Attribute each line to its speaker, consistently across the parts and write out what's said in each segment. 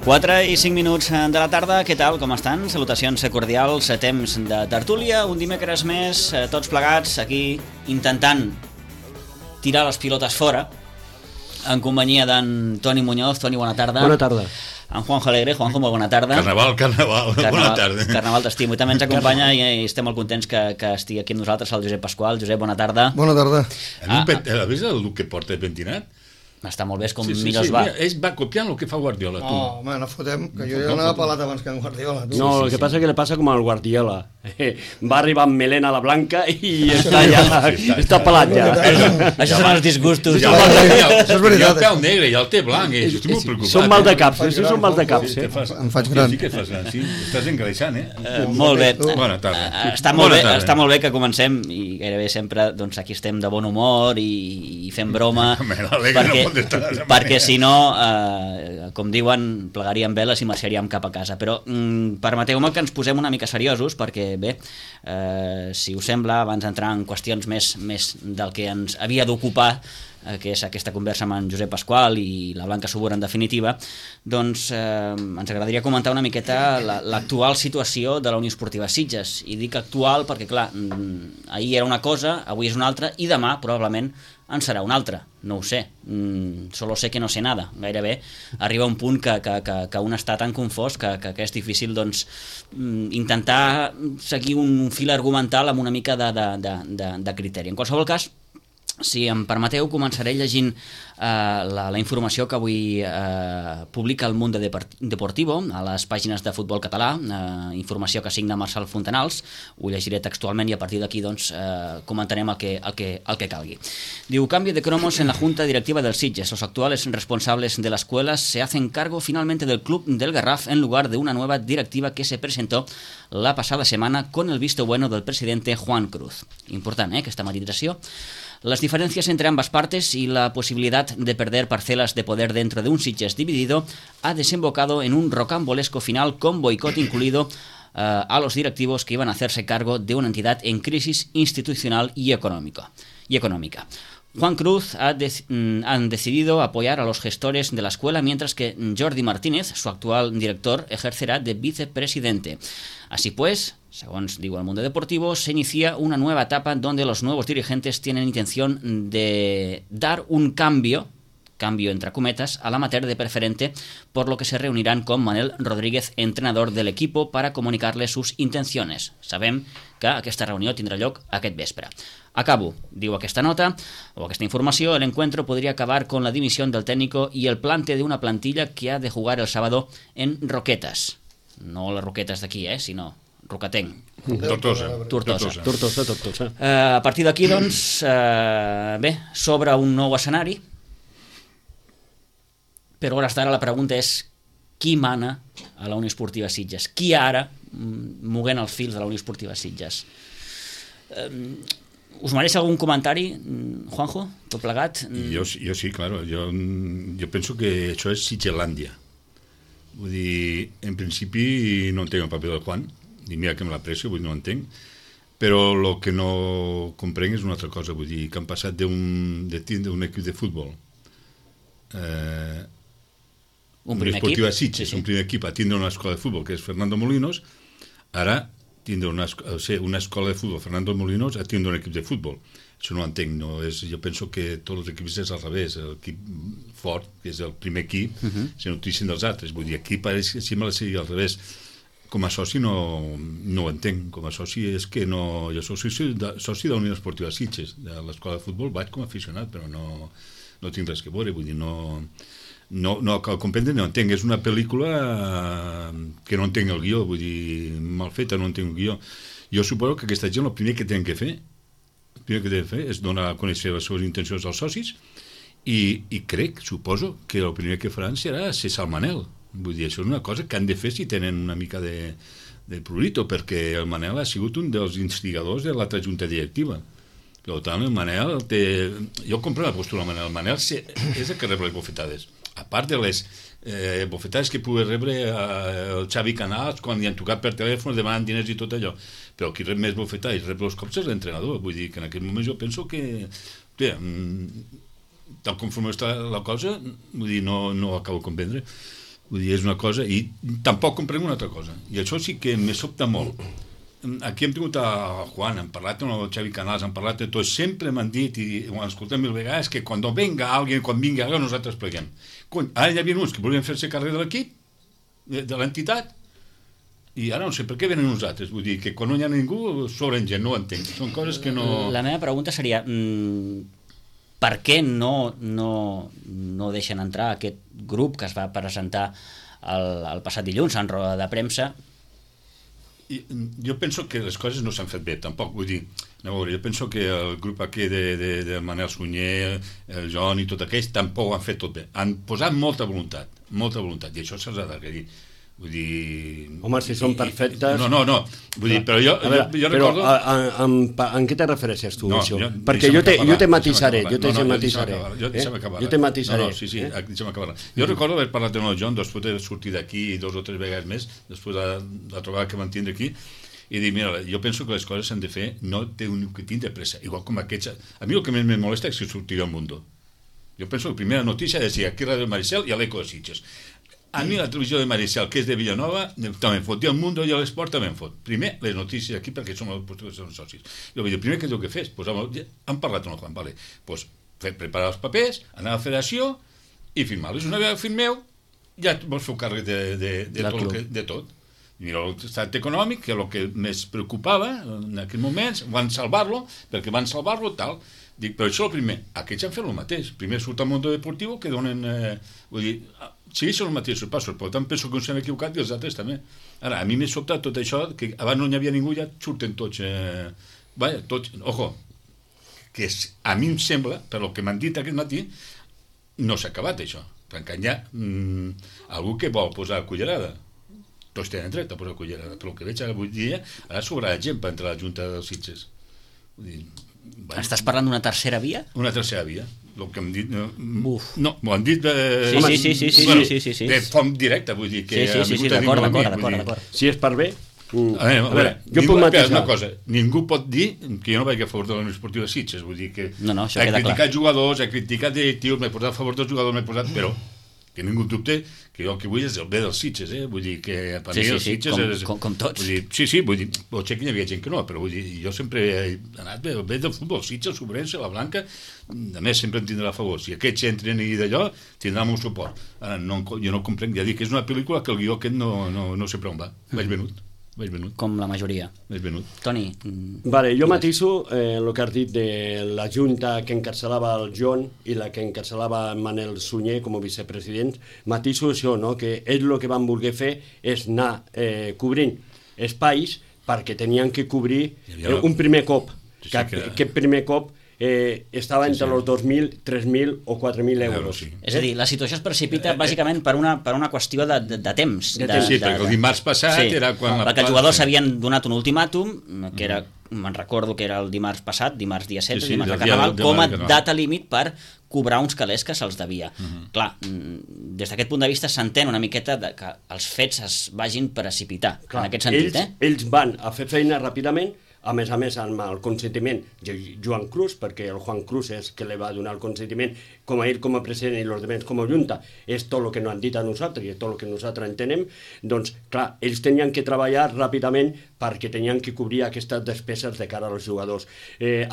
Speaker 1: Quatre i 5 minuts de la tarda, què tal, com estan? Salutacions cordials a temps de tertúlia, un dimecres més, tots plegats aquí intentant tirar les pilotes fora, en companyia d'en Toni Muñoz. Toni, bona tarda.
Speaker 2: Bona tarda.
Speaker 1: En Juanjo Alegre. Juanjo, molt bona tarda.
Speaker 3: Carnaval, bona tarda.
Speaker 1: Carnaval t'estimo. I també ens acompanya i estem molt contents que estigui aquí amb nosaltres el Josep Pasqual. Josep, bona tarda.
Speaker 4: Bona tarda.
Speaker 3: Has vist el look que porta pentinat?
Speaker 1: Està molt bé, és com
Speaker 3: sí,
Speaker 1: millor es va.
Speaker 3: Mira, ell va copiant el que fa Guardiola, tu.
Speaker 4: Oh, home, no fotem, que jo ja anava pelat abans que en Guardiola, tu.
Speaker 2: No, el que passa és que le passa com al Guardiola. Va arribar amb melena a la blanca i està ja, està pelat ja.
Speaker 1: Això són els disgustos.
Speaker 4: Això és veritat.
Speaker 3: I el peu negre i el té blanc, estic molt preocupat.
Speaker 2: Són mal de caps, són mal de caps.
Speaker 4: Em faig gran.
Speaker 3: Sí que et fas gran, sí. Estàs engreixant,
Speaker 1: Molt bé.
Speaker 3: Bona tarda.
Speaker 1: Està molt bé que comencem, i gairebé sempre aquí estem de bon humor i fem broma, perquè si no, com diuen, plegaríem veles i marxaríem cap a casa. Però permeteu-me que ens posem una mica seriosos, perquè bé, si us sembla, abans d'entrar en qüestions més del que ens havia d'ocupar, que és aquesta conversa amb en Josep Pasqual i la Blanca Subur en definitiva, doncs ens agradaria comentar una miqueta l'actual situació de la Unió Esportiva Sitges. I dic actual perquè, clar, ahir era una cosa, avui és una altra, i demà probablement en serà una altra, no ho sé, solo sé que no sé nada. Gairebé arriba un punt que un està tan confós que és difícil, doncs, intentar seguir un fil argumental amb una mica de criteri. En qualsevol cas, si em permeteu, començaré llegint la informació que avui publica el Mundo Deportivo a les pàgines de Futbol Català, informació que signa Marçal Fontanals. Ho llegiré textualment i a partir d'aquí doncs, comentarem el que calgui. Diu: cambio de cromos en la Junta Directiva del Sitges. Los actuales responsables de la escuela se hacen cargo finalmente del club del Garraf en lugar de una nueva directiva que se presentó la pasada semana con el visto bueno del presidente Juan Cruz. Important, aquesta matizació. Las diferencias entre ambas partes y la posibilidad de perder parcelas de poder dentro de un Sitges dividido ha desembocado en un rocambolesco final con boicot incluido a los directivos que iban a hacerse cargo de una entidad en crisis institucional y económica. Juan Cruz han decidido apoyar a los gestores de la escuela, mientras que Jordi Martínez, su actual director, ejercerá de vicepresidente. Así pues, según digo el Mundo Deportivo, se inicia una nueva etapa donde los nuevos dirigentes tienen intención de dar un cambio entre cometas, a l'amateur de preferente, por lo que se reunirán con Manel Rodríguez, entrenador del equipo, para comunicarle sus intenciones. Sabem que aquesta reunió tindrà lloc aquest vespre. Acabo, diu aquesta nota, o aquesta informació: el encuentro podría acabar con la dimisión del técnico y el plante de una plantilla que ha de jugar el sábado en Roquetas. No les Roquetes d'aquí, sinó Rocatenc.
Speaker 3: Tortosa.
Speaker 1: A partir d'aquí, doncs, bé, s'obre un nou escenari, però hores d'ara la pregunta és: qui mana a la Unió Esportiva Sitges? Qui ara moguent els fils de la Unió Esportiva Sitges? Us mereix algun comentari, Juanjo, tot plegat?
Speaker 3: Jo sí, claro. Jo penso que això és Sitgelàndia. Vull dir, en principi no entenc el paper del Juan, i mira que me l'aprecio, vull dir, no entenc, però el que no comprenc és una altra cosa. Vull dir, que han passat de tindre un equip de futbol,
Speaker 1: un primer equip,
Speaker 3: Sitges, un primer equip, a tindre una escola de futbol que és Fernando Molinos, ara tindre una escola de futbol Fernando Molinos a tindre un equip de futbol. Això no ho entenc, no? Jo penso que tots els equips és al revés. L'equip fort, que és el primer equip, se nutrissin dels altres. Vull dir, aquí pareix que sembla ser al revés. Com a soci no ho entenc. Com a soci és que no... Jo soc soci de la Unió Esportiva Sitges, de l'escola de futbol, vaig com a aficionat, però no tinc res que veure. Vull dir, no cal comprendre, no entenc. És una pel·lícula que no entenc el guió, vull dir, mal feta, no entenc el guió. Jo suposo que aquesta gent el primer que tenen que fer és donar a conèixer les seves intencions als socis i suposo que el primer que faran serà cessar el Manel. Vull dir, això és una cosa que han de fer si tenen una mica de prurito, perquè el Manel ha sigut un dels instigadors de l'altra junta directiva. Per tant, el Manel té... Jo compro la postura del Manel. El Manel és el que rep les bofetades. a part de les bofetades que pugui rebre el Xavi Canals quan li han tocat per telèfon demanant diners i tot allò, però qui rep més bofetades rep els cops és l'entrenador. Vull dir que en aquest moment jo penso que tal com està la cosa, vull dir, no acabo de comprendre. Vull dir, és una cosa, i tampoc comprenc una altra cosa, i això sí que me sobta molt. Aquí hem tingut a Juan, hem parlat amb el Xavi Canals, hem parlat de tot, sempre m'han dit, i ho escoltem mil vegades, que quan vingui alguien nosaltres pleguem. Ara hi havia uns que volien fer-se càrrec de l'equip, de l'entitat, i ara no sé per què venen nosaltres. Vull dir que quan no hi ha ningú sobren gent, no ho entenc. Són coses que no...
Speaker 1: La meva pregunta seria per què no deixen entrar aquest grup que es va presentar el passat dilluns en roda de premsa?
Speaker 3: Jo penso que les coses no s'han fet bé, tampoc, vull dir, jo penso que el grup aquí de Manel Sunyer, el Joan i tot aquells tampoc ho han fet tot bé, han posat molta voluntat, i això se'ls ha d'agrair. Vull dir...
Speaker 2: Home, si són perfectes...
Speaker 3: No, vull dir, però jo recordo...
Speaker 2: En què te refereixes tu, això? Perquè jo te matisaré, Jo te matisaré.
Speaker 3: Sí, deixa'm acabar. Jo recordo haver parlat amb el John després de sortir d'aquí 2 o 3 vegades més, després de la trobada que vam tindre aquí, i dir, mira, jo penso que les coses s'han de fer, no té un tint de pressa, igual com aquests... A mi el que més me molesta és que sortirà al Mundo. Jo penso que la primera notícia és aquí a Ràdio Maricel i a l'Eco de Sitges. A mi la televisió de Maricel, que és de Villanova, també em fot, i el Mundo i l'Esport també em fot. Primer, les notícies aquí, perquè som els socis. Jo vull dir, primer que és el que fes, han parlat amb el Juan, vale, preparar els papers, anar a la federació i firmar-los. Una vegada firmeu, ja vols fer càrrec de tot. Mira l'estat econòmic, que és el que més preocupava en aquells moments, van salvar-lo, perquè van salvar-lo tal. Dic, però això és el primer. Aquests han fet el mateix. Primer surt al Mundo Deportivo, que donen... vull dir, segueixen els mateixos passos, per tant penso que s'han equivocat i els altres també. Ara, a mi m'he sobtat tot això, que abans no hi havia ningú, ja surten tots... tots... Ojo, que a mi em sembla, per el que m'han dit aquest matí, no s'ha acabat això. Perquè hi ha algú que vol posar cullerada. Tots tenen dret a posar cullerada, però el que veig avui dia, ara sobrarà gent per entrar a la Junta dels Sitges. Vull dir...
Speaker 1: Estàs parlant d'una tercera via?
Speaker 3: Una tercera via. El que hem dit...
Speaker 1: No,
Speaker 3: m'ho han dit...
Speaker 1: Sí.
Speaker 3: De font directa, vull dir que...
Speaker 1: Sí, d'acord.
Speaker 2: Si és per bé...
Speaker 3: A veure, jo puc matisar una cosa. Ningú pot dir que jo no vaig a favor de la Unió Esportiva de Sitges. Vull dir que he criticat jugadors, he criticat directius, m'he posat a favor dels jugadors, m'he posat... Però que ningú dubte que jo el que vull és el bé dels Sitges, vull dir que per mi els Sitges és...
Speaker 1: com tots.
Speaker 3: Vull dir, potser que hi havia gent que no, però vull dir, jo sempre he anat bé, el bé del futbol, Sitges, Sobrense, la Blanca, a més sempre em tindrà a favor. Si aquests entren i d'allò, tindrà el meu suport. Ara, jo no comprenc, ja dic que és una pel·lícula que el guió aquest no sé per on va, vaig venut.
Speaker 1: Com la majoria. Toni.
Speaker 2: Vale, jo matiso el que has dit de la junta que encarcelava el John i la que encarcelava Manel Sunyer com a vicepresident. Matiso això, no? Que ells el que van voler fer és anar cobrint espais perquè tenien que cobrir un primer cop. Aquest primer cop estava entre els 2.000, 3.000 o 4.000 euros.
Speaker 1: És a dir, la situació es precipita bàsicament per una qüestió de temps.
Speaker 3: Sí, perquè el dimarts passat era quan...
Speaker 1: Perquè els jugadors s'havien donat un ultimàtum, que era, me'n recordo que era el dimarts passat, dimarts dia 16, dimarts de Carnaval, com a data límit per cobrar uns calés que se'ls devia. Clar, des d'aquest punt de vista s'entén una miqueta que els fets es vagin precipitar, en aquest sentit.
Speaker 2: Ells van a fer feina ràpidament, a més amb el consentiment de Joan Cruz, perquè el Juan Cruz és que li va donar el consentiment com a ell com a president i els altres com a junta, és tot el que no han dit a nosaltres i és tot el que nosaltres entenem, doncs clar, ells tenien que treballar ràpidament perquè tenien que cobrir aquestes despeses de cara als jugadors.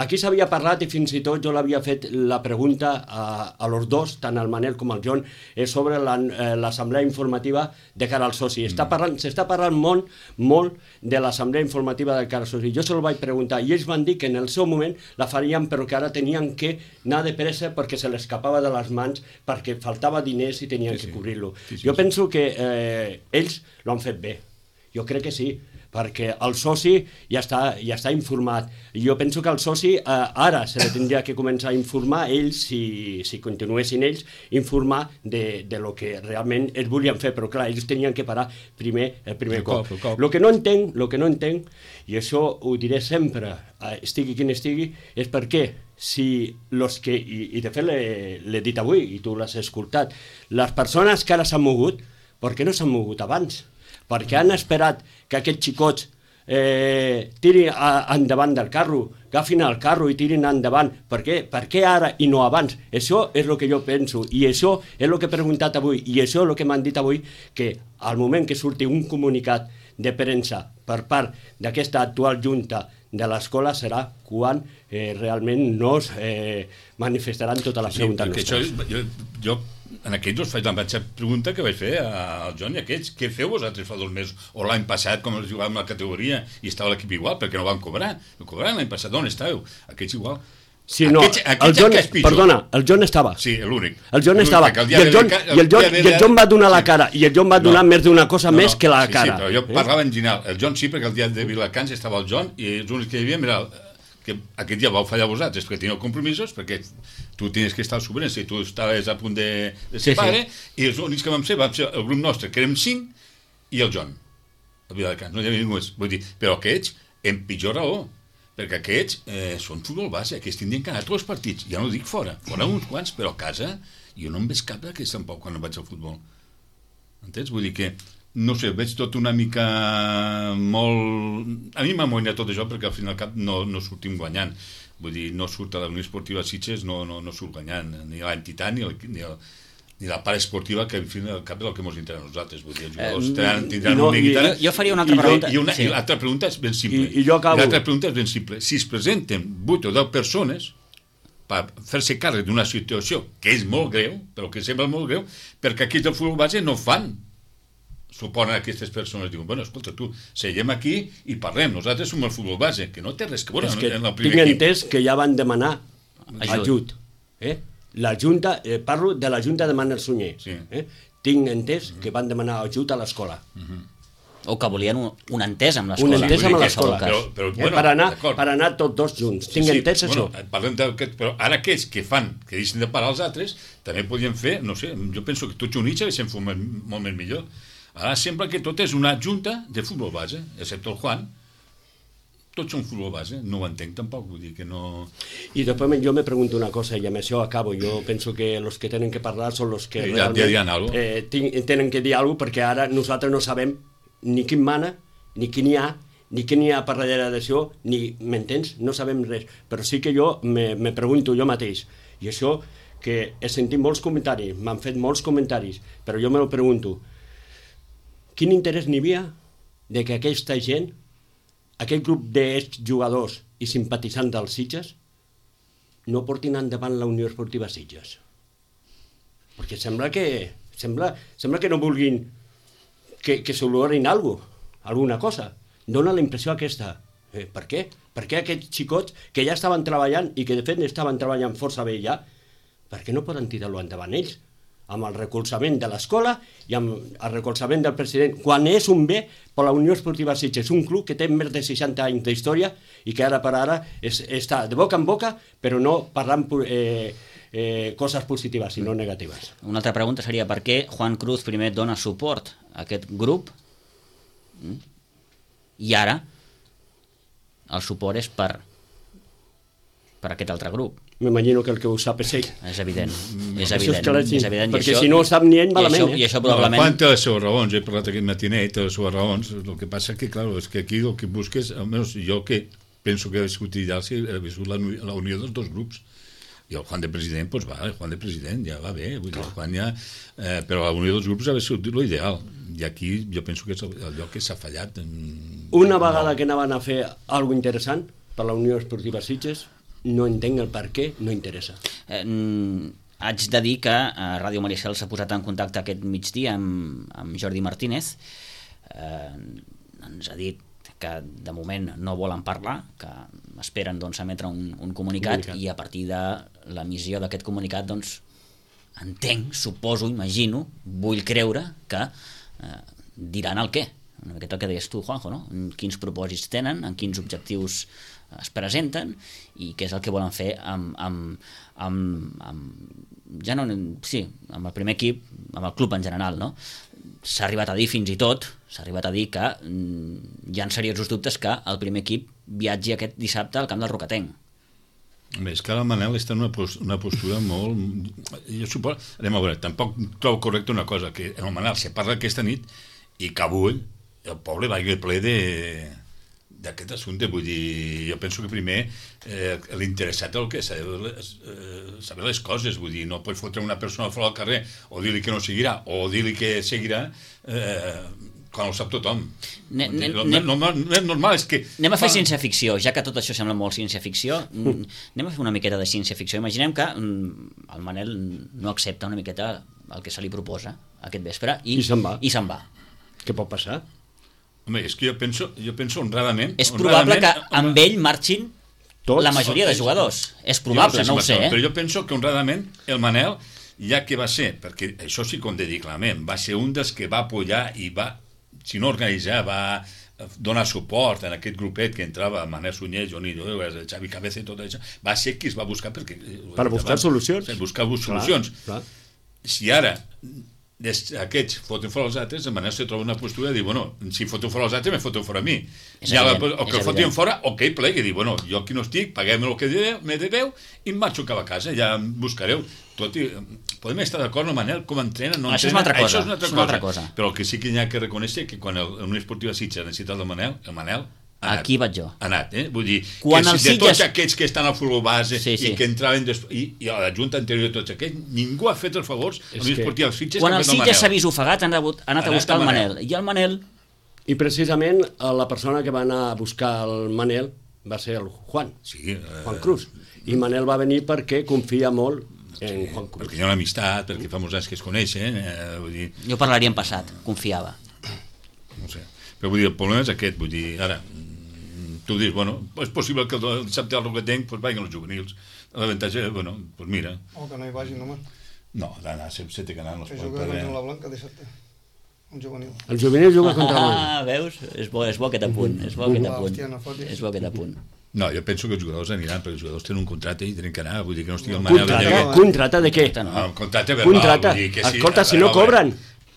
Speaker 2: Aquí s'havia parlat i fins i tot jo l'havia fet la pregunta a los dos, tant el Manel com el John, sobre l'assemblea informativa de cara al soci. S'està parlant molt de l'assemblea informativa de cara al soci. Jo se'l vaig preguntar i ells van dir que en el seu moment la farien però que ara tenien que anar de pressa perquè se l'escapava de les mans perquè faltava diners i tenien que cobrir-lo. Jo penso que ells l'han fet bé. Jo crec que sí, perquè el soci ja està informat. Jo penso que el soci ara se li tindria que començar a informar ells, si continuessin ells, informar de lo que realment ells volien fer, però clar, ells tenien que parar el primer cop. Lo que no entenc, i això ho diré sempre, estigui quin estigui, és per què si los que, i de fet l'he dit avui, i tu l'has escoltat, les persones que ara s'han mogut, per què no s'han mogut abans? Perquè han esperat que aquests xicots tirin endavant del carro, agafin el carro i tirin endavant. Per què ara i no abans? Això és el que jo penso, i això és el que he preguntat avui, i això és el que m'han dit avui, que al moment que surti un comunicat de premsa per part d'aquesta actual junta de l'escola serà quan realment no es manifestaran totes les preguntes nostres.
Speaker 3: Jo en aquells us faig la mateixa pregunta que vaig fer al John i aquells. Què feu vosaltres fa 2 mesos? O l'any passat, com es jugàvem a la categoria i estava l'equip igual, perquè no van cobrar? No cobraran l'any passat, on estàveu? Aquests igual.
Speaker 2: Sí, no, el John estava.
Speaker 3: Sí, l'únic.
Speaker 2: El John estava. I el John va donar la cara. I el John va donar més d'una cosa més que la cara.
Speaker 3: Sí, però jo parlava en general. El John sí, perquè el dia de Vilacans estava el John i els únics que hi havia era que aquest dia vau fallar vosaltres perquè teníeu compromisos, perquè tu tenies que estar al Sobrense i tu estaves a punt de ser pare, i els únics que vam ser el grup nostre, que érem 5, i el John, a Vilacans, no hi havia ningú més. Vull dir, però aquests, en pitjor raó, perquè aquests són futbol base, aquests tindrien que anar a tots els partits, ja no dic fora uns quants, però a casa, jo no em veig cap d'aquests tampoc quan vaig al futbol. Entens? Vull dir que no sé, veig tot una mica molt... A mi m'amoïna tot això perquè al final cap no sortim guanyant. Vull dir, no surt a la Unió Esportiva Sitges, no surt guanyant, ni l'entitat ni la part esportiva, que al final cap és el que ens interessa a nosaltres. Vull dir, els jugadors tindran una guitarra...
Speaker 1: Jo faria una altra pregunta.
Speaker 3: I l'altra pregunta és ben simple.
Speaker 2: I jo acabo.
Speaker 3: L'altra pregunta és ben simple. Si es presenten 8 o 10 persones per fer-se càrrec d'una situació que és molt greu, però que sembla molt greu, perquè aquí del futbol base no fan. Suponen aquestes persones, diuen, bueno, escolta, tu, seguem aquí i parlem, nosaltres som el futbol base, que no té res que veure en el primer equip.
Speaker 2: Tinc entès que ja van demanar ajut. La Junta, parlo de la Junta de Manel Sunyer. Tinc entès que van demanar ajut a l'escola.
Speaker 1: O que volien un entès amb l'escola.
Speaker 2: Un entès amb l'escola.
Speaker 3: Bueno,
Speaker 2: per anar tots dos junts. Tinc entès això.
Speaker 3: Parlem d'aquest, però ara aquells que fan, que deixen de parar els altres, també podien fer, no sé, jo penso que tots units haguessin fet molt més millor. Ara sembla que tot és una junta de futbol base, excepte el Juan. Tots són futbol base, no ho entenc tampoc, vull dir que no...
Speaker 2: I després jo me pregunto una cosa, i amb això acabo. Jo penso que els que tenen que parlar són els que realment tenen que dir alguna cosa, perquè ara nosaltres no sabem ni quin mana, ni quin hi ha, ni quin hi ha per darrere d'això, ni, m'entens? No sabem res. Però sí que jo me pregunto jo mateix. I això que he sentit molts comentaris, m'han fet molts comentaris, però jo me lo pregunto. Quin interès n'hi havia de que aquesta gent, aquest grup d'exjugadors i simpatitzants dels Sitges, no portin endavant la Unió Esportiva Sitges? Perquè sembla que no vulguin que s'olorin alguna cosa. Dóna la impressió aquesta. Per què? Per què aquests xicots que ja estaven treballant i que de fet estaven treballant força bé ja, per què no poden tirar-lo endavant ells? Amb el recolzament de l'escola i amb el recolzament del president, quan és un bé per la Unió Esportiva Sitges, un club que té més de 60 anys d'història i que ara per ara està de boca en boca, però no parlant coses positives, sinó negatives.
Speaker 1: Una altra pregunta seria per què Juan Cruz primer dona suport a aquest grup i ara el suport és per aquest altre grup.
Speaker 2: M'imagino que el que ho sap és ell.
Speaker 1: És evident. És evident.
Speaker 2: Perquè si no ho sap ni ell, malament.
Speaker 1: I això probablement...
Speaker 3: Juan té les seves raons, he parlat aquest matinet, té les seves raons. El que passa que, clar, és que aquí el que busques, almenys jo que penso que ha sigut ideal, si ha viscut la unió dels dos grups. I el Juan de president, doncs va, el Juan de president ja va bé, vull dir, el Juan ja... però la unió dels grups ha sigut l'ideal. I aquí jo penso que és el lloc que s'ha fallat.
Speaker 2: Una vegada que anaven a fer alguna interessant per la Unió Esportiva Sitges, no entenc el per què no interessa.
Speaker 1: Haig de dir que Ràdio Maricel s'ha posat en contacte aquest migdia amb Jordi Martínez. Ens ha dit que de moment no volen parlar, que esperen doncs, emetre un comunicat i a partir de l'emissió d'aquest comunicat doncs, entenc, suposo, imagino, vull creure que diran el què. una miqueta el que deies tu, Juanjo, no? Quins propòsits tenen, en quins objectius es presenten i què és el que volen fer amb el primer equip, amb el club en general, no? S'ha arribat a dir fins i tot, que hi ha seriosos dubtes que el primer equip viatgi aquest dissabte al camp del Rocatenc.
Speaker 3: És que ara el Manel està en una postura molt... Jo suposo... Anem a veure, tampoc trobo correcte una cosa, que el Manel se parla aquesta nit i que avui el poble vagi ple d'aquest assumpte. Vull dir, jo penso que primer l'interessat el que és saber les coses. Vull dir, no pots fotre una persona fora al carrer o dir-li que no seguirà o dir-li que seguirà quan ho sap tothom. Normal és que...
Speaker 1: Anem a fer ciència-ficció, ja que tot això sembla molt ciència-ficció, anem a fer una miqueta de ciència-ficció. Imaginem que el Manel no accepta una miqueta el que se li proposa aquest vespre i se'n va.
Speaker 2: Què pot passar?
Speaker 3: Home, és que jo penso honradament...
Speaker 1: És probable que amb ell marxin la majoria de jugadors. És probable, no ho sé.
Speaker 3: Però jo penso que honradament el Manel, ja que va ser, perquè això sí que ho hem de dir clarament, va ser un dels que va apoyar i va, si no organitzar, va donar suport en aquest grupet que entrava Manel Sunyer, Johnny Xavi Cabeza i tot això, va ser qui es va buscar per
Speaker 2: buscar solucions.
Speaker 3: Buscar solucions.
Speaker 2: Clar.
Speaker 3: Si ara aquests foten fora els altres, de manera se troba una postura de dir, bueno, si foten fora els altres, me foten fora a mi. O que el fotin fora, o que ell plegui, dir, bueno, jo aquí no estic, paguem el que me deveu i em marxo cap a casa, ja em buscareu. Tot i, podem estar d'acord amb Manel, com entrena, no entrena,
Speaker 1: això és una altra cosa.
Speaker 3: Però el que sí que hi ha que reconèixer que quan l'Unió Esportiva Sitges necessita el Manel
Speaker 1: aquí vaig jo.
Speaker 3: Ha anat, vull dir,
Speaker 1: quan
Speaker 3: que
Speaker 1: de
Speaker 3: tots aquests que estan al futbol base
Speaker 1: i
Speaker 3: que entraven i a la junta anterior de tots aquests, ningú ha fet els favors a l'Unió Esportiva Sitges.
Speaker 1: Quan el Sitges s'ha vist ofegat han anat a buscar el Manel. I el Manel...
Speaker 2: I precisament la persona que va anar a buscar el Manel va ser el Juan Cruz. I Manel va venir perquè confia molt en Juan Cruz.
Speaker 3: Perquè hi ha una amistat, perquè fa molts anys que es coneixen. Vull dir...
Speaker 1: Jo parlaria en passat, confiava.
Speaker 3: No sé. Però vull dir, el problema és aquest, vull dir, ara... Tu dius, bueno, és possible que el dissabte al Rocatenc vagin els juvenils. L'avantatge, bueno, doncs mira.
Speaker 4: O que no hi vagin, home.
Speaker 3: No, d'anar, se té que anar.
Speaker 4: Que juga contra la Blanca dissabte. Un juvenil.
Speaker 2: El juvenil juga contra la Blanca.
Speaker 1: Veus? És bo aquest apunt. És bo aquest apunt.
Speaker 3: No, jo penso que els jugadors aniran, perquè els jugadors tenen un contracte i tenen que anar, vull dir que no estigui el Manel...
Speaker 2: Contracte de què?
Speaker 3: Contracte verbal.
Speaker 2: Escolta, si no cobren...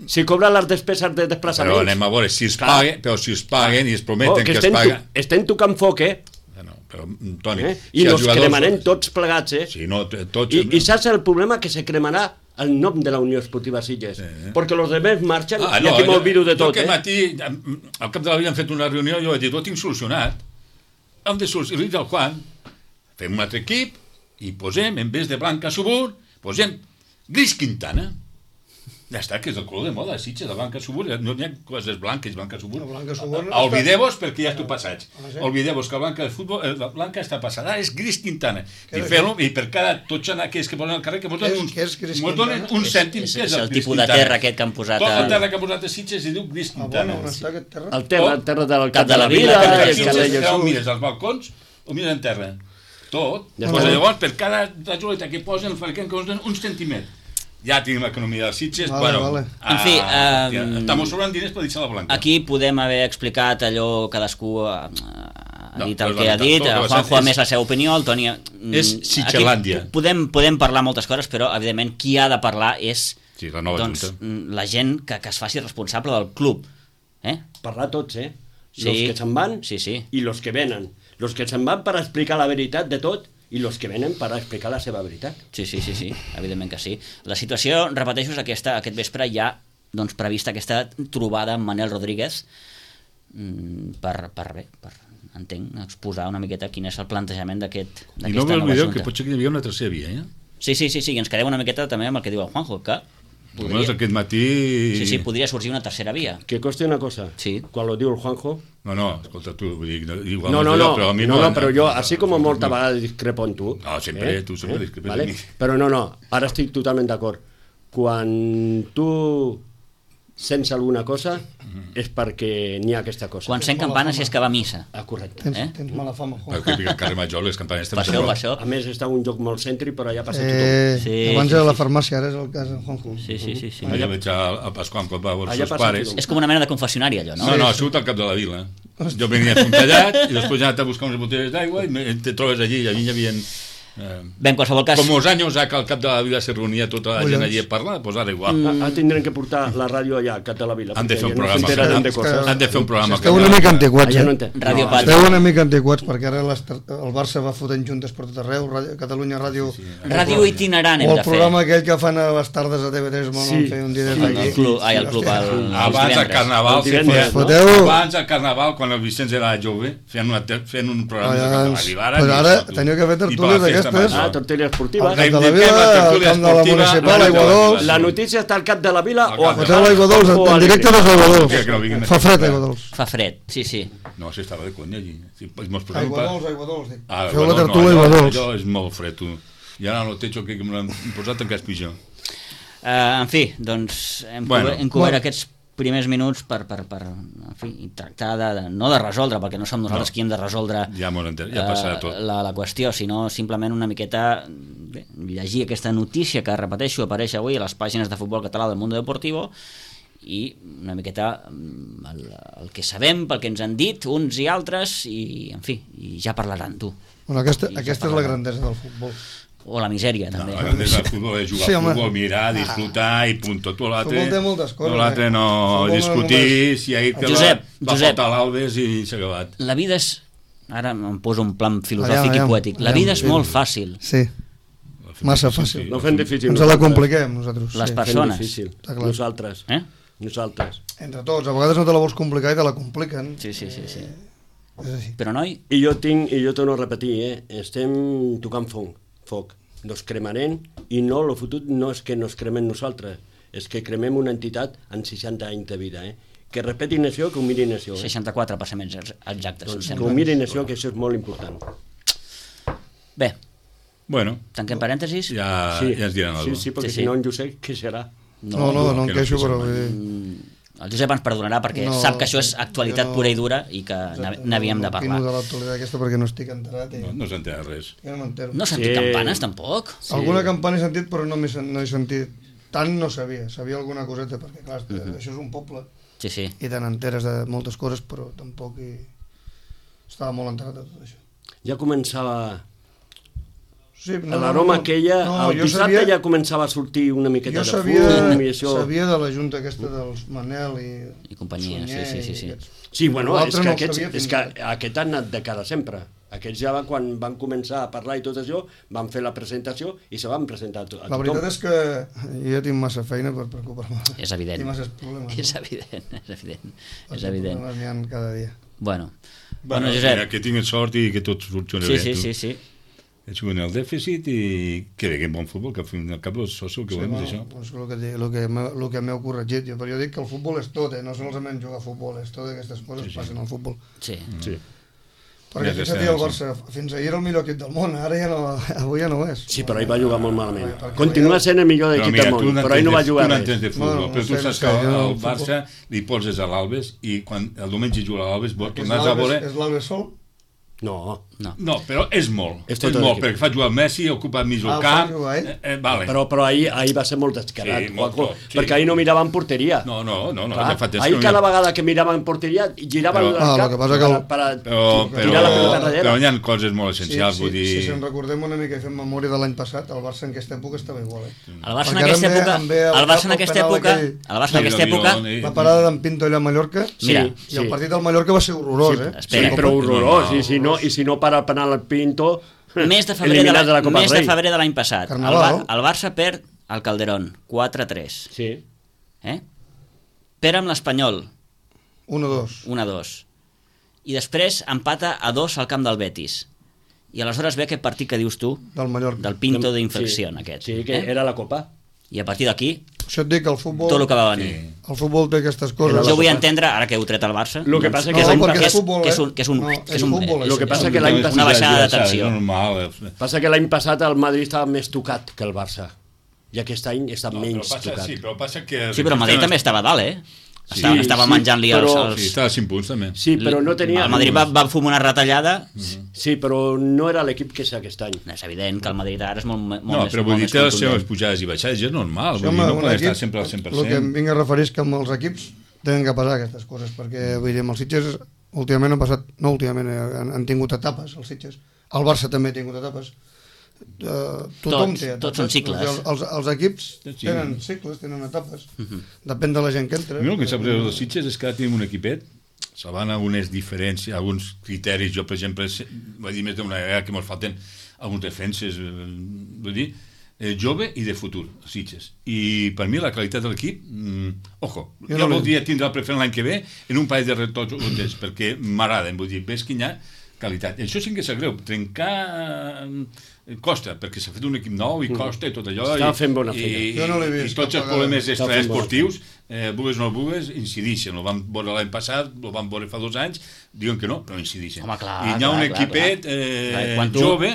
Speaker 2: Si cobren les despeses de desplaçaments...
Speaker 3: Però anem a veure, si es paguen i es prometen que es paguen...
Speaker 2: Estem tocant foc,
Speaker 3: No, però, Toni...
Speaker 2: I nos cremarem tots plegats,
Speaker 3: Sí, no, tots...
Speaker 2: I saps el problema? Que se cremarà el nom de la Unió Esportiva Sitges. Perquè els demés marxen i aquí m'olvido de tot.
Speaker 3: Jo aquest matí, al cap de la vida hem fet una reunió i jo he dit, ho tinc solucionat. Hem de solucionar, el Juan, fem un altre equip i posem, en vez de Blanca Subur, posem Gris Quintana. Ja està, que és el color de moda, Sitges, la Blanca Subur, no hi ha coses blanques, Blanca Subur. Oblideu-vos perquè ja estou passats. Oblideu-vos que la Blanca està passada, és Gris Quintana. I fem-lo, i per cada tots aquells que posen al carrer, que mos donen un cèntim.
Speaker 1: És el tipus de terra aquest que han posat...
Speaker 3: Tota la terra que han posat a Sitges i diu Gris Quintana.
Speaker 4: On està aquest terra?
Speaker 2: El terra del Cap de la Vila,
Speaker 3: ho mires als balcons, ho mires en terra. Tot. Llavors, per cada rajoleta que posen, el fabricant que us donen un centímetre. Ja tenim l'economia dels Sitges,
Speaker 1: En fi,
Speaker 3: estamos sobrant diners per deixar la Blanca.
Speaker 1: Aquí podem haver explicat allò, cadascú ha dit el que ha dit, Juanjo a més la seva opinió, el Toni...
Speaker 3: És Sitgerlàndia.
Speaker 1: Podem parlar moltes coses, però evidentment qui ha de parlar és
Speaker 3: la
Speaker 1: gent que es faci responsable del club.
Speaker 2: Parlar tots, los que se'n van i los que venen. Los que se'n van per explicar la veritat de tot i els que venen per explicar la seva veritat.
Speaker 1: Sí, evidentment que sí. La situació, repeteixo, és aquesta. Aquest vespre ja prevista aquesta trobada amb Manel Rodríguez per entenc, exposar una miqueta quin és el plantejament d'aquesta nova junta.
Speaker 3: I no m'oblideu que potser que hi havia una tercera via,
Speaker 1: Sí, i ens quedem una miqueta també amb el que diu el Juanjo, que
Speaker 3: aquest matí...
Speaker 1: Sí, podria sorgir una tercera via.
Speaker 2: Que costi una cosa, quan lo diu el Juanjo...
Speaker 3: No, escolta, tu, vull dir, igual...
Speaker 2: No, però jo, així com molta vegada discrepo en tu...
Speaker 3: No, sempre, tu sempre discrepes en mi.
Speaker 2: Però no, ara estic totalment d'acord. Quan tu sense alguna cosa és perquè n'hi ha aquesta cosa.
Speaker 1: Quan sent campanes és que va a missa.
Speaker 2: Correcte.
Speaker 4: Tens mala fama, Juan.
Speaker 3: Perquè al carrer Major les campanes
Speaker 1: Per això.
Speaker 2: A més, està un lloc molt cèntric, però allà passa tothom.
Speaker 1: Sí,
Speaker 4: abans era la farmàcia, ara és el cas de Juanjo.
Speaker 1: Sí.
Speaker 3: Allà veig a Pasqual quan va a veure els
Speaker 2: Allà
Speaker 3: seus
Speaker 2: passa
Speaker 3: pares.
Speaker 2: tothom.
Speaker 1: És com una mena de confessionari, allò, no?
Speaker 3: No, ha sigut al cap de la vila. Jo venia fontallat i després he anat a buscar unes botelles d'aigua i te trobes allí i allí hi havia...
Speaker 1: Bé, en qualsevol cas...
Speaker 3: Com els anys que al cap de la vila se reunia tota la gent allí a parlar, doncs ara igual.
Speaker 2: Tindrem que portar la ràdio allà, al cap de la vila.
Speaker 3: Han de fer un
Speaker 2: perquè
Speaker 3: programa.
Speaker 2: ja no s'enteraran de coses.
Speaker 3: Han de fer un programa.
Speaker 4: Esteu una mica antiquats,
Speaker 2: Allà no
Speaker 4: eh?
Speaker 2: entén.
Speaker 1: Radio Pati.
Speaker 4: Esteu una mica antiquats, perquè ara el Barça va fotent juntes per tot arreu, Catalunya Ràdio...
Speaker 1: Ràdio itinerant
Speaker 4: O
Speaker 1: hem
Speaker 4: el
Speaker 1: de fer.
Speaker 4: programa aquell que fan a les tardes a TV3, van fer un dia des d'aquí.
Speaker 1: El club,
Speaker 3: Abans del Carnaval, abans del Carnaval, quan el Vicenç era jove, feien un programa de la vila.
Speaker 4: Ara teniu que fer tertúlies d'aquestes.
Speaker 2: Tertúlia esportiva.
Speaker 4: De la vila, al camp de la municipal, Aigua Dols.
Speaker 2: La notícia està al cap de la vila o al
Speaker 4: Foteu l'Aigua Dols, en directe dels Aigua Dols. Fa fred, Aigua Dols.
Speaker 1: Fa fred, sí.
Speaker 3: No, si estava de conya allí.
Speaker 4: Aigua Dols.
Speaker 3: Feu
Speaker 4: la tertúlia Aigua Dols.
Speaker 3: Allò és molt fred, tu. I ara el techo que m'han posat encara és pitjor.
Speaker 1: En fi, doncs hem cobert aquests primers minuts per en fi, tractar no de resoldre, perquè no som nosaltres qui hem de resoldre
Speaker 3: ja passarà tot.
Speaker 1: La qüestió, sinó simplement una miqueta llegir aquesta notícia que, repeteixo, apareix avui a les pàgines de futbol català del Mundo Deportivo i una miqueta el que sabem, pel que ens han dit uns i altres, i en fi, i ja parlaran tu.
Speaker 4: Bueno, aquesta és la grandesa del futbol.
Speaker 1: O la misèria, també.
Speaker 3: La grandesa del futbol és jugar al futbol, mirar, disfrutar i punt. Tot l'altre no discutir si hi ha va faltar l'Albes i s'ha acabat.
Speaker 1: La vida és, ara em poso un plan filosòfic i poètic, la vida és molt fàcil.
Speaker 4: Sí, massa fàcil.
Speaker 2: No fem difícil.
Speaker 4: Ens la compliquem nosaltres.
Speaker 1: Les persones.
Speaker 2: Nosaltres. Entre
Speaker 4: tots, a vegades no te la vols complicar i te la compliquen.
Speaker 1: Sí. Però noi...
Speaker 2: I jo torno a repetir, estem tocant foc, nos cremarem i no, el fotut no és que nos cremem nosaltres, és que cremem una entitat en 60 anys de vida, que repeti nació, que ho miri nació.
Speaker 1: 64 per ser més exactes.
Speaker 2: Doncs que ho miri nació, que això és molt important.
Speaker 1: Bé,
Speaker 3: bueno,
Speaker 1: tanquem parèntesis.
Speaker 3: Ja ens diran alguna cosa.
Speaker 2: Sí, perquè si no en Josep, què serà?
Speaker 4: No em queixo, però...
Speaker 1: El Josep ens perdonarà perquè sap que això és actualitat pura i dura i que n'havíem de parlar.
Speaker 4: No opino de l'actualitat aquesta perquè no estic enterat.
Speaker 3: No s'ha enterat res.
Speaker 4: Jo no m'entero.
Speaker 1: No has sentit campanes, tampoc?
Speaker 4: Alguna campana he sentit, però no he sentit. Tant no sabia alguna coseta, perquè clar, això és un poble.
Speaker 1: Sí.
Speaker 4: I te n'enteres de moltes coses, però tampoc estava molt enterat de tot això.
Speaker 2: Ja començava...
Speaker 4: Sí,
Speaker 2: l'aroma aquella, el dissabte ja començava a sortir una miqueta de fum i això...
Speaker 4: Jo sabia de la junta aquesta dels Manel
Speaker 1: i companyia, sí.
Speaker 2: Sí, bueno, és que aquests han anat de cara sempre. Aquests ja quan van començar a parlar i tot això, van fer la presentació i se van presentar a tothom.
Speaker 4: La veritat és que jo ja tinc massa feina per preocupar-me.
Speaker 1: És evident.
Speaker 4: I masses problemes.
Speaker 1: És evident.
Speaker 4: Els problemes n'hi ha cada dia.
Speaker 1: Bueno, Josep...
Speaker 3: Que tinguin sort i que tot funcioni bé.
Speaker 1: Sí.
Speaker 3: Juguen el dèficit i que veiem bon futbol, que al fin i al cap és el que volem, és això.
Speaker 4: És el que m'heu corregit. Però jo dic que el futbol és tot, no solament jugar a futbol, és tot aquestes coses passen al futbol.
Speaker 1: Sí.
Speaker 4: Perquè fixa't, el Barça fins ahir era el millor equip del món, avui ja no és.
Speaker 2: Sí, però ahir va jugar molt malament. Continua sent el millor equip del món, però ahir no va jugar res.
Speaker 3: Tu n'entens de futbol, però tu saps que al Barça li poses a l'Albes i quan el diumenge juga a l'Albes tornàs a veure...
Speaker 4: És l'Albes sol?
Speaker 3: No, però és molt. És molt, perquè fa jugar el Messi, ocupa mig el camp...
Speaker 2: Vale. Però ahir va ser molt descarat, perquè ahir no miraven porteria.
Speaker 3: No.
Speaker 2: Ahir cada vegada que miraven porteria giraven el cap per tirar la pelota darrere.
Speaker 3: Però hi ha coses molt essencials, vull dir...
Speaker 4: Si ens recordem una mica i fem memòria de l'any passat, el Barça en aquesta època estava igual.
Speaker 1: El Barça en aquesta època...
Speaker 4: La parada d'en Pinto allà a Mallorca, i el partit del Mallorca va ser horrorós,
Speaker 2: Sí, però horrorós, i si no para el penal al Pinto,
Speaker 1: mes de febrer de l'any passat, el Barça perd al Calderón 4-3.
Speaker 2: Sí.
Speaker 1: Perd amb l'Espanyol
Speaker 4: 1-2.
Speaker 1: I després empata a 2 al camp del Betis. I aleshores ve aquest partit que dius tu del Pinto d'Infecció aquest.
Speaker 2: Sí, que era la Copa.
Speaker 1: I a partir d'aquí
Speaker 4: això et dic, el futbol...
Speaker 1: Tot el que va venir.
Speaker 4: El futbol té aquestes coses.
Speaker 1: Jo vull entendre, ara que heu tret el Barça...
Speaker 2: El que passa que
Speaker 1: és una baixada de tensió.
Speaker 2: Passa que l'any passat el Madrid estava més tocat que el Barça. i aquest any està menys tocat.
Speaker 3: Sí, però passa que...
Speaker 1: Sí, però el Madrid també estava a dalt, Estava menjant-li els...
Speaker 3: Sí, estava a 5 punts, també.
Speaker 2: Sí, però no tenia...
Speaker 1: El Madrid va fumar una retallada...
Speaker 2: Sí, però no era l'equip que és aquest any.
Speaker 1: És evident que el Madrid ara és molt més
Speaker 3: No, però vull dir, té les seves pujades i baixades, és normal, vull dir, no poden estar sempre al 100%.
Speaker 4: El que em vinc a referir és que amb els equips tenen que passar aquestes coses, perquè vull dir, amb els Sitges últimament han passat, no últimament, han tingut etapes, els Sitges. El Barça també ha tingut etapes. Tothom té etapes.
Speaker 1: Tots són cicles.
Speaker 4: Els equips tenen cicles, tenen etapes. Depèn de la gent que entra.
Speaker 3: El que sap greu dels Sitges és que ara tenim un equipet, se van a unes diferències, alguns criteris, jo per exemple, vaig dir més d'una vegada que ens falten alguns defenses, vull dir, jove i de futur, Sitges. I per mi la qualitat de l'equip, ojo, jo voldria tindre el preferent l'any que ve en un parell de retocs, perquè m'agraden, vull dir, ves quina qualitat. Això sí que sap greu, trencar costa, perquè s'ha fet un equip nou i costa i tot allò.
Speaker 2: Està fent bona feina.
Speaker 3: I tots els problemes extraesportius, vulgues o no vulgues, incidixen. Ho vam veure l'any passat, ho vam veure fa 2 anys, diuen que no, però incidixen.
Speaker 1: Home, clar,
Speaker 3: I hi ha un equipet jove,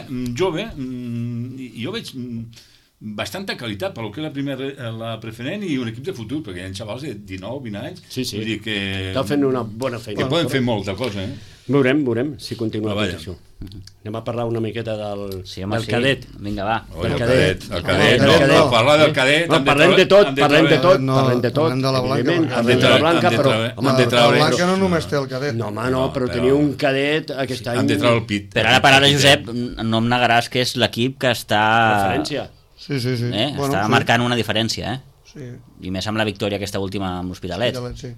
Speaker 3: i jo veig bastanta qualitat per lo que és la preferent i un equip de futur, perquè hi ha xavals de 19, 20 anys.
Speaker 2: Sí.
Speaker 3: Vull dir que...
Speaker 2: Està fent una bona feina.
Speaker 3: Que poden fer molta cosa,
Speaker 2: Veurem si continua la competició. Anem a parlar una miqueta del cadet.
Speaker 1: Vinga, va.
Speaker 3: El cadet. No, parlar del cadet...
Speaker 2: No, parlem de tot.
Speaker 4: Parlem de la Blanca.
Speaker 2: Parlem de la Blanca, però...
Speaker 4: La Blanca no només té el cadet.
Speaker 2: No, home, no, però teniu un cadet aquest any...
Speaker 3: Han de treure el pit.
Speaker 1: Però ara, Josep, no em negaràs que és l'equip que està...
Speaker 2: Referència.
Speaker 4: Sí.
Speaker 1: Està marcant una diferència,
Speaker 4: Sí.
Speaker 1: I més amb la victòria aquesta última amb l'Hospitalet.
Speaker 4: Sí.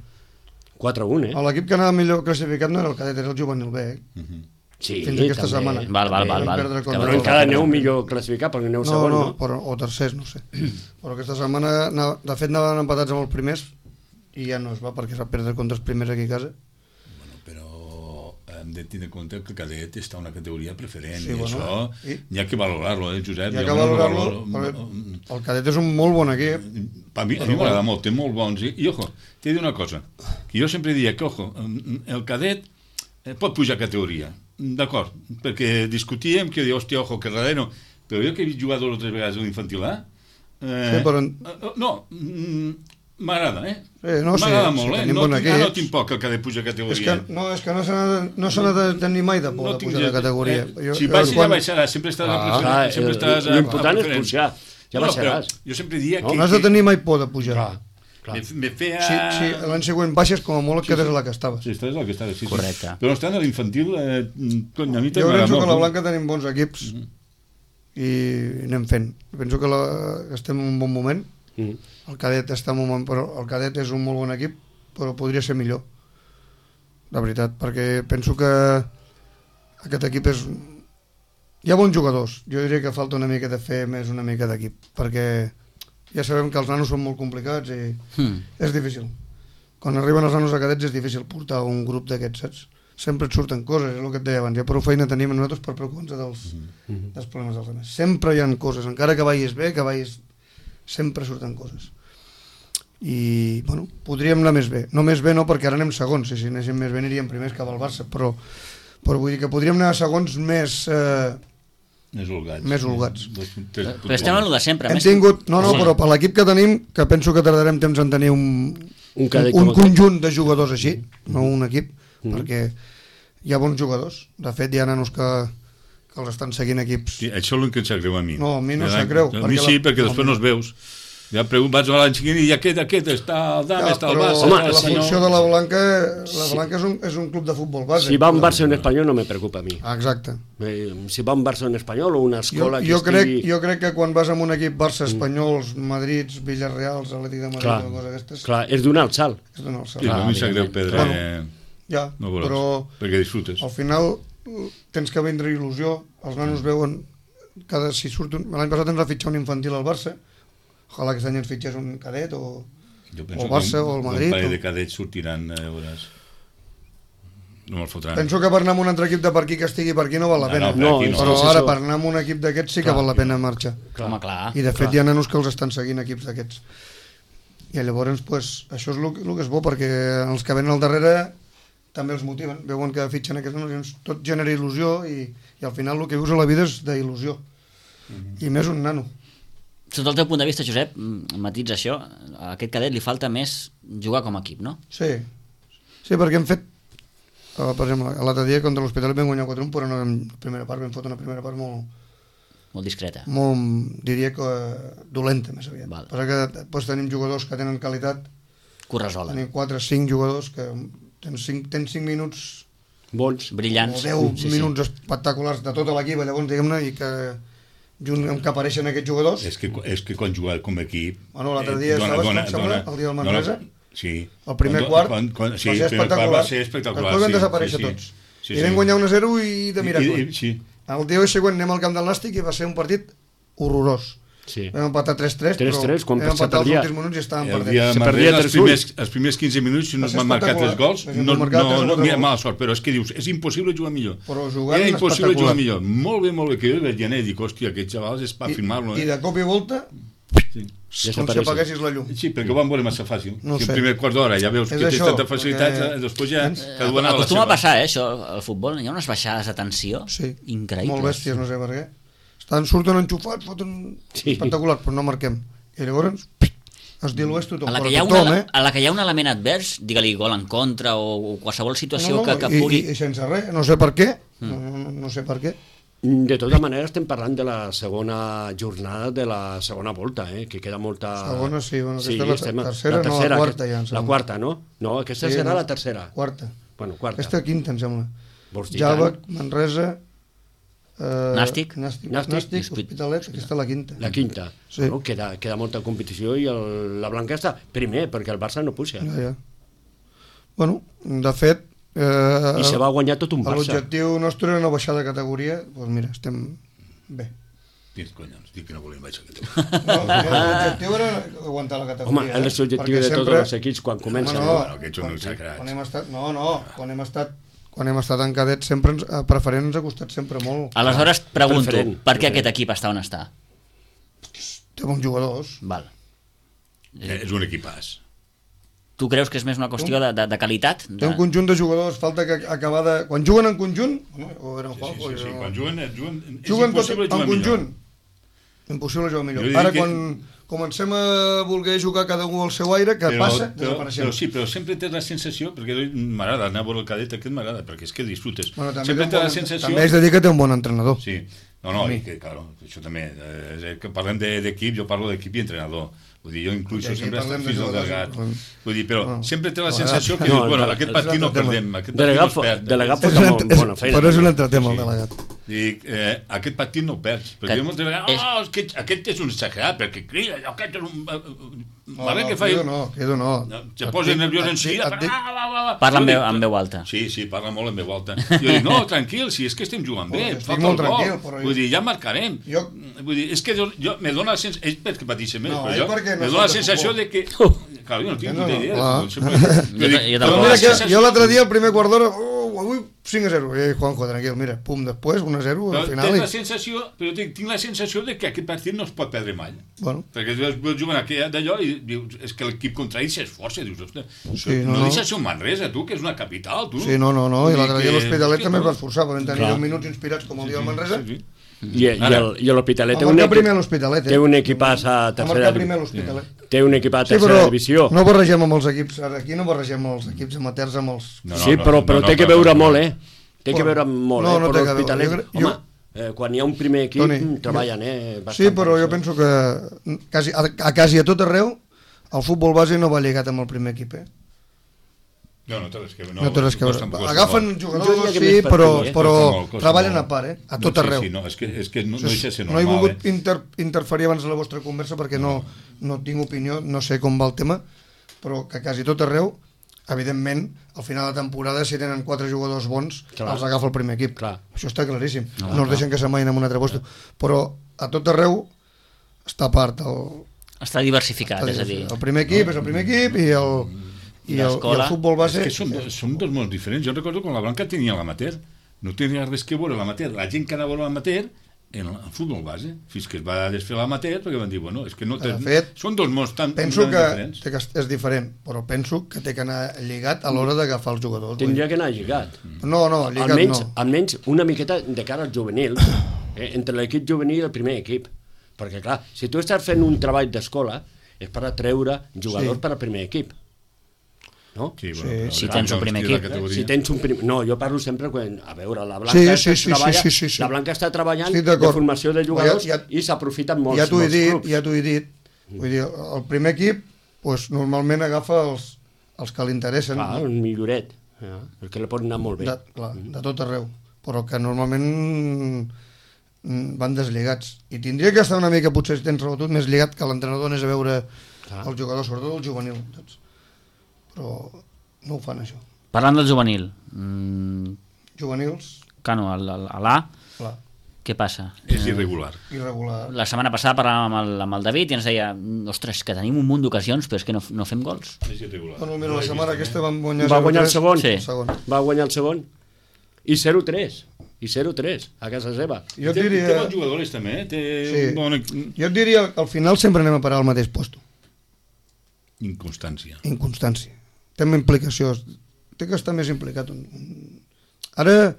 Speaker 2: 4-1,
Speaker 4: L'equip que anava millor classificat no era el cadet, era el juvenil B,
Speaker 2: Sí,
Speaker 4: fins aquesta setmana.
Speaker 1: Val.
Speaker 2: Però encara aneu millor classificat, perquè aneu segon, no?
Speaker 4: O tercers, no sé. Però aquesta setmana, de fet, anaven empatats amb els primers i ja no es va, perquè s'ha perdre contra els primers aquí a casa.
Speaker 3: Però hem de tenir en compte que el cadet està a una categoria preferent,
Speaker 4: i
Speaker 3: això hi ha que valorar-lo, Josep?
Speaker 4: Hi ha que valorarlo. El cadet és un molt bon equip.
Speaker 3: A mi m'agrada molt, té molt bons. I ojo, t'he de dir una cosa, que jo sempre diria que, ojo, el cadet pot pujar categoria, d'acord, perquè discutíem que diu, hòstia, ojo, que darrere no, però jo que he vist jugar 2 o 3 vegades a l'infantil A, no, m'agrada, m'agrada molt, no tinc por que el cadet puja categoria.
Speaker 4: És que no s'ha de tenir mai de por de pujar de categoria.
Speaker 3: Si baixes ja baixaràs, sempre estàs
Speaker 2: l'important és pujar. Ja baixaràs.
Speaker 3: Jo sempre diria que...
Speaker 4: No has de tenir mai por de pujar.
Speaker 3: Me feia...
Speaker 4: Sí, l'any següent baixes com a molt que és la que estaves.
Speaker 3: Sí, estàs la que estaves, sí.
Speaker 1: Correcte.
Speaker 3: Però estant a l'infantil, a mi també
Speaker 4: jo penso que a la Blanca tenim bons equips i anem fent. Penso que estem en un bon moment. El cadet està en un moment, però el cadet és un molt bon equip, però podria ser millor. De veritat, perquè penso que aquest equip és... Hi ha bons jugadors, jo diria que falta una mica de fer més una mica d'equip, perquè ja sabem que els nanos són molt complicats i és difícil. Quan arriben els nanos a cadets és difícil portar un grup d'aquests, saps? Sempre et surten coses, és el que et deia abans, ja prou feina tenim nosaltres per preocupar-nos dels problemes dels altres. Sempre hi ha coses, encara que vagis bé, sempre surten coses. I, bueno, podríem anar més bé. No més bé no, perquè ara anem segons, si anéssim més bé aniríem primers cap al Barça, però vull dir que podríem anar segons més holgats.
Speaker 1: Però estem a lo de sempre.
Speaker 4: Hem tingut, però per l'equip que tenim, que penso que tardarem temps en tenir un conjunt de jugadors així, no un equip, perquè hi ha bons jugadors. De fet, hi ha nanos que els estan seguint equips.
Speaker 3: Sí, això és el que em sap greu a mi.
Speaker 4: No, a mi no sap greu.
Speaker 3: A mi sí, perquè després no els veus. Ja vaig a l'any seguint i aquest està al Dama, està al Barça.
Speaker 4: La funció de la Blanca és un club de futbol base.
Speaker 2: Si va un Barça o un Espanyol no me preocupa a mi.
Speaker 4: Exacte.
Speaker 2: Si va un Barça o un Espanyol o una escola
Speaker 4: jo crec que quan vas amb un equip Barça, Espanyols, Madrids, Villarreals, Atlètic de Madrid, o coses aquestes...
Speaker 2: Clar, és donar el salt.
Speaker 3: Sí, a mi sap greu perdre...
Speaker 4: Ja, però
Speaker 3: perquè disfrutes.
Speaker 4: Al final tens que vendre il·lusió, els nanos veuen l'any passat ens va fitxar un infantil al Barça, ojalà aquest any ens fitxés un cadet o Barça o el Madrid.
Speaker 3: Un parell de cadets sortiran, veuràs. No me'l fotran.
Speaker 4: Penso que per anar amb un altre equip de per aquí que estigui per aquí no val la pena. Però ara per anar amb un equip d'aquests sí que val la pena marxar. I de fet hi ha nanos que els estan seguint equips d'aquests. I llavors això és el que és bo, perquè els que venen al darrere també els motiven. Veuen que fitxen aquests nanos, tot genera il·lusió i al final el que vius a la vida és d'il·lusió. I més un nano.
Speaker 1: Sota el teu punt de vista, Josep, matitza això, a aquest cadet li falta més jugar com a equip, no?
Speaker 4: Sí, perquè hem fet, per exemple, l'altre dia contra l'Hospitalet vam guanyar 4-1, però no en primera part, vam fotre una primera part
Speaker 1: molt discreta.
Speaker 4: Molt, diria que dolenta, més aviat.
Speaker 1: Val.
Speaker 4: Passa que després tenim jugadors que tenen qualitat,
Speaker 1: Que ho resolen.
Speaker 4: tenim 4-5 jugadors que tens 5 minuts
Speaker 2: Bons.
Speaker 1: Brillants.
Speaker 4: o 10 minuts espectaculars de tota l'equip, llavors diguem-ne, i que junt amb que apareixen aquests jugadors.
Speaker 3: És que quan jugar com a equip...
Speaker 4: Bueno, l'altre dia estaves, com sembla, el dia del Manresa?
Speaker 3: Sí.
Speaker 4: El primer quart
Speaker 3: sí,
Speaker 4: va ser espectacular. Després van desaparèixer tots. I vam guanyar 1-0 i de miracle.
Speaker 3: Sí.
Speaker 4: El dia següent anem al camp del Nàstic i va ser un partit horrorós.
Speaker 2: Sí.
Speaker 4: Vam empatar 3-3, però
Speaker 2: quan
Speaker 4: vam empatar els últims minuts i estàvem perdent.
Speaker 3: Els primers 15 minuts, si no m'han marcat 3 gols, no hi ha mala sort, però és que dius, és impossible jugar millor.
Speaker 4: Però jugant
Speaker 3: era impossible jugar millor. Molt bé, que jo veig i dic, hòstia, aquests xavals és per firmar-lo.
Speaker 4: I de cop i volta, com si apaguessis la llum.
Speaker 3: Sí, perquè ho van veure massa fàcil. Si el primer quart d'hora ja veus que tens tanta facilitat, després ja...
Speaker 1: Acostuma a passar, això, al futbol, hi ha unes baixades de tensió increïbles.
Speaker 4: Molt bèsties, no sé per què. Surten enxufats, foten espectacular, però no marquem. I llavors es dilueix tothom.
Speaker 1: A la que hi ha un element advers, digue-li gol en contra o qualsevol situació que pugui...
Speaker 4: I sense res, no sé per què. No sé per què.
Speaker 2: De tota manera estem parlant de la segona jornada de la segona volta, que queda molta...
Speaker 4: Segona, sí, bueno, aquesta és la tercera, no, la quarta ja.
Speaker 2: La quarta, no? No, aquesta serà la tercera.
Speaker 4: Quarta.
Speaker 2: Bueno, quarta.
Speaker 4: Aquesta quinta, em sembla. Jàlbec, Manresa...
Speaker 1: Nàstic,
Speaker 4: Hospitalet, aquesta és la quinta.
Speaker 2: La quinta.
Speaker 4: Sí.
Speaker 2: Bueno, queda molta competició i la Blanca està primer, perquè el Barça no puja.
Speaker 4: Ja. Bueno, de fet...
Speaker 2: I se va guanyar tot un Barça.
Speaker 4: L'objectiu nostre era no baixar de categoria, doncs mira, estem bé.
Speaker 3: Tens collons, dic que no volíem baixar de categoria.
Speaker 4: L'objectiu era aguantar la categoria.
Speaker 2: Home, és l'objectiu de tots els equips quan comencen.
Speaker 3: Aquests són uns sagrats.
Speaker 4: Quan hem estat en cadet sempre preferent ens ha costat sempre molt.
Speaker 1: Aleshores pregunto, per què aquest equip està on està?
Speaker 4: Té bons jugadors.
Speaker 1: Val.
Speaker 3: És un equipàs.
Speaker 1: Tu creus que és més una qüestió de qualitat?
Speaker 4: Té un conjunt de jugadors, falta que acabar de... Quan juguen en conjunt... O eren
Speaker 3: sí, quan juguen és
Speaker 4: impossible jugar en conjunt. Impossible jugar millor. Ara quan comencem a voler jugar cada un al seu aire, que passa, desapareixem.
Speaker 3: Però sempre tens la sensació, perquè m'agrada anar a veure el cadet, aquest m'agrada, perquè és que disfrutes.
Speaker 4: Sempre tens la sensació... També és de dir que té un bon entrenador.
Speaker 3: Sí, claro, això també. Que parlem d'equip, jo parlo d'equip i entrenador. Vull dir, jo incluso sempre he estat fins al delegat. Vull dir, però sempre té la sensació que dius, bueno, aquest partit no perdem, aquest partit no es perd.
Speaker 2: Delegat pot amb bona feina.
Speaker 4: Però és un entretema, el delegat.
Speaker 3: Dic, aquest partit no ho perds, perquè jo moltes vegades, aquest és un exagerat, perquè crida, aquest és un...
Speaker 4: Quedo no.
Speaker 3: Se posa nerviós en seguida.
Speaker 1: Parla amb veu alta.
Speaker 3: Sí, parla molt en veu alta. Jo dic, no, tranquil, si és que estem jugant bé,
Speaker 4: estic molt tranquil.
Speaker 3: Vull dir, ja marcarem. Vull dir, és que jo me dona la sensació, ell perquè pateixen més, però jo me dona la sensació de que... Clar, jo no tinc puta idea.
Speaker 4: Jo l'altre dia, el primer quart d'hora, avui 5-0, Juanjo, tranquil, mira, pum, després 1-0 al final.
Speaker 3: Tens la sensació, però tinc la sensació de que aquest partit no es pot perdre mai. Perquè juguen d'allò i dius, és que l'equip contrari s'esforça, dius, ostres, no deixes ser un Manresa, tu, que és una capital, tu.
Speaker 4: Sí, no, i l'altre dia l'Hospitalet també es va esforçar, vam tenir 10 minuts inspirats com el dia del Manresa.
Speaker 2: I l'Hospitalet té un equipàs a tercera divisió. Té un equip a tercera divisió.
Speaker 4: No barregem amb els equips, aquí no barregem els equips amateurs amb els...
Speaker 2: Sí, però té que veure molt, Té que veure molt, però l'Hospitalet... Home, quan hi ha un primer equip treballen,
Speaker 4: Sí, però jo penso que quasi a tot arreu el futbol base no va lligat amb el primer equip,
Speaker 3: No té res que veure.
Speaker 4: Agafen jugadors, sí, però treballen a part, a tot arreu.
Speaker 3: Sí, és que no deixa ser normal.
Speaker 4: No he volgut interferir abans de la vostra conversa perquè no tinc opinió, no sé com va el tema, però que quasi tot arreu, evidentment, al final de temporada, si tenen 4 jugadors bons, els agafa el primer equip. Això està claríssim. No els deixen que s'amaïn en un altre lloc. Però a tot arreu està a part.
Speaker 1: Està diversificat, és a dir.
Speaker 4: El primer equip és el primer equip i el futbol base...
Speaker 3: És que són dos mons diferents. Jo recordo quan la Blanca tenia l'amateur. No tenia res que veure l'amateur. La gent que anava a veure l'amateur en el futbol base, fins que es va desfer l'amateur, perquè van dir, bueno, és que no... Són dos mons tan diferents.
Speaker 4: Penso que és diferent, però penso que té que anar lligat a l'hora d'agafar els jugadors.
Speaker 2: Tindria que anar lligat.
Speaker 4: No, lligat no.
Speaker 2: Almenys una miqueta de cara al juvenil, entre l'equip juvenil i el primer equip. Perquè, clar, si tu estàs fent un treball d'escola, és per atreure jugadors per al primer equip. No?
Speaker 3: Sí, bueno,
Speaker 1: Si tens un primer equip.
Speaker 2: Si tens un no, jo parlo sempre quan, a veure, la Blanca la Blanca està treballant de formació de jugadors i s'aprofiten molts clubs.
Speaker 4: Ja t'ho he dit. Vull dir, el primer equip normalment agafa els que li interessen.
Speaker 2: Clar, el milloret, perquè li pot anar molt bé.
Speaker 4: De tot arreu. Però que normalment van deslligats. I tindria que estar una mica, potser si tens rebutut, més lligat que l'entrenador anés a veure els jugadors, sobretot el juvenil. Però no ho fan, això.
Speaker 1: Parlant del juvenil.
Speaker 4: Juvenils.
Speaker 1: Cano, a l'A, què passa?
Speaker 3: És irregular.
Speaker 1: La setmana passada parlàvem amb el David i ens deia, ostres, que tenim un munt d'ocasions però és que no fem gols.
Speaker 3: És irregular.
Speaker 4: Bueno, mira, la setmana aquesta van guanyar...
Speaker 2: Va guanyar el segon.
Speaker 1: Sí.
Speaker 2: Va guanyar el segon. I 0-3. I 0-3 a casa seva.
Speaker 4: Jo diria...
Speaker 3: Té bons jugadors també,
Speaker 4: Jo et diria, al final sempre anem a parar al mateix lloc.
Speaker 3: Inconstància.
Speaker 4: Té implicació. Té que estar més implicat. Ara,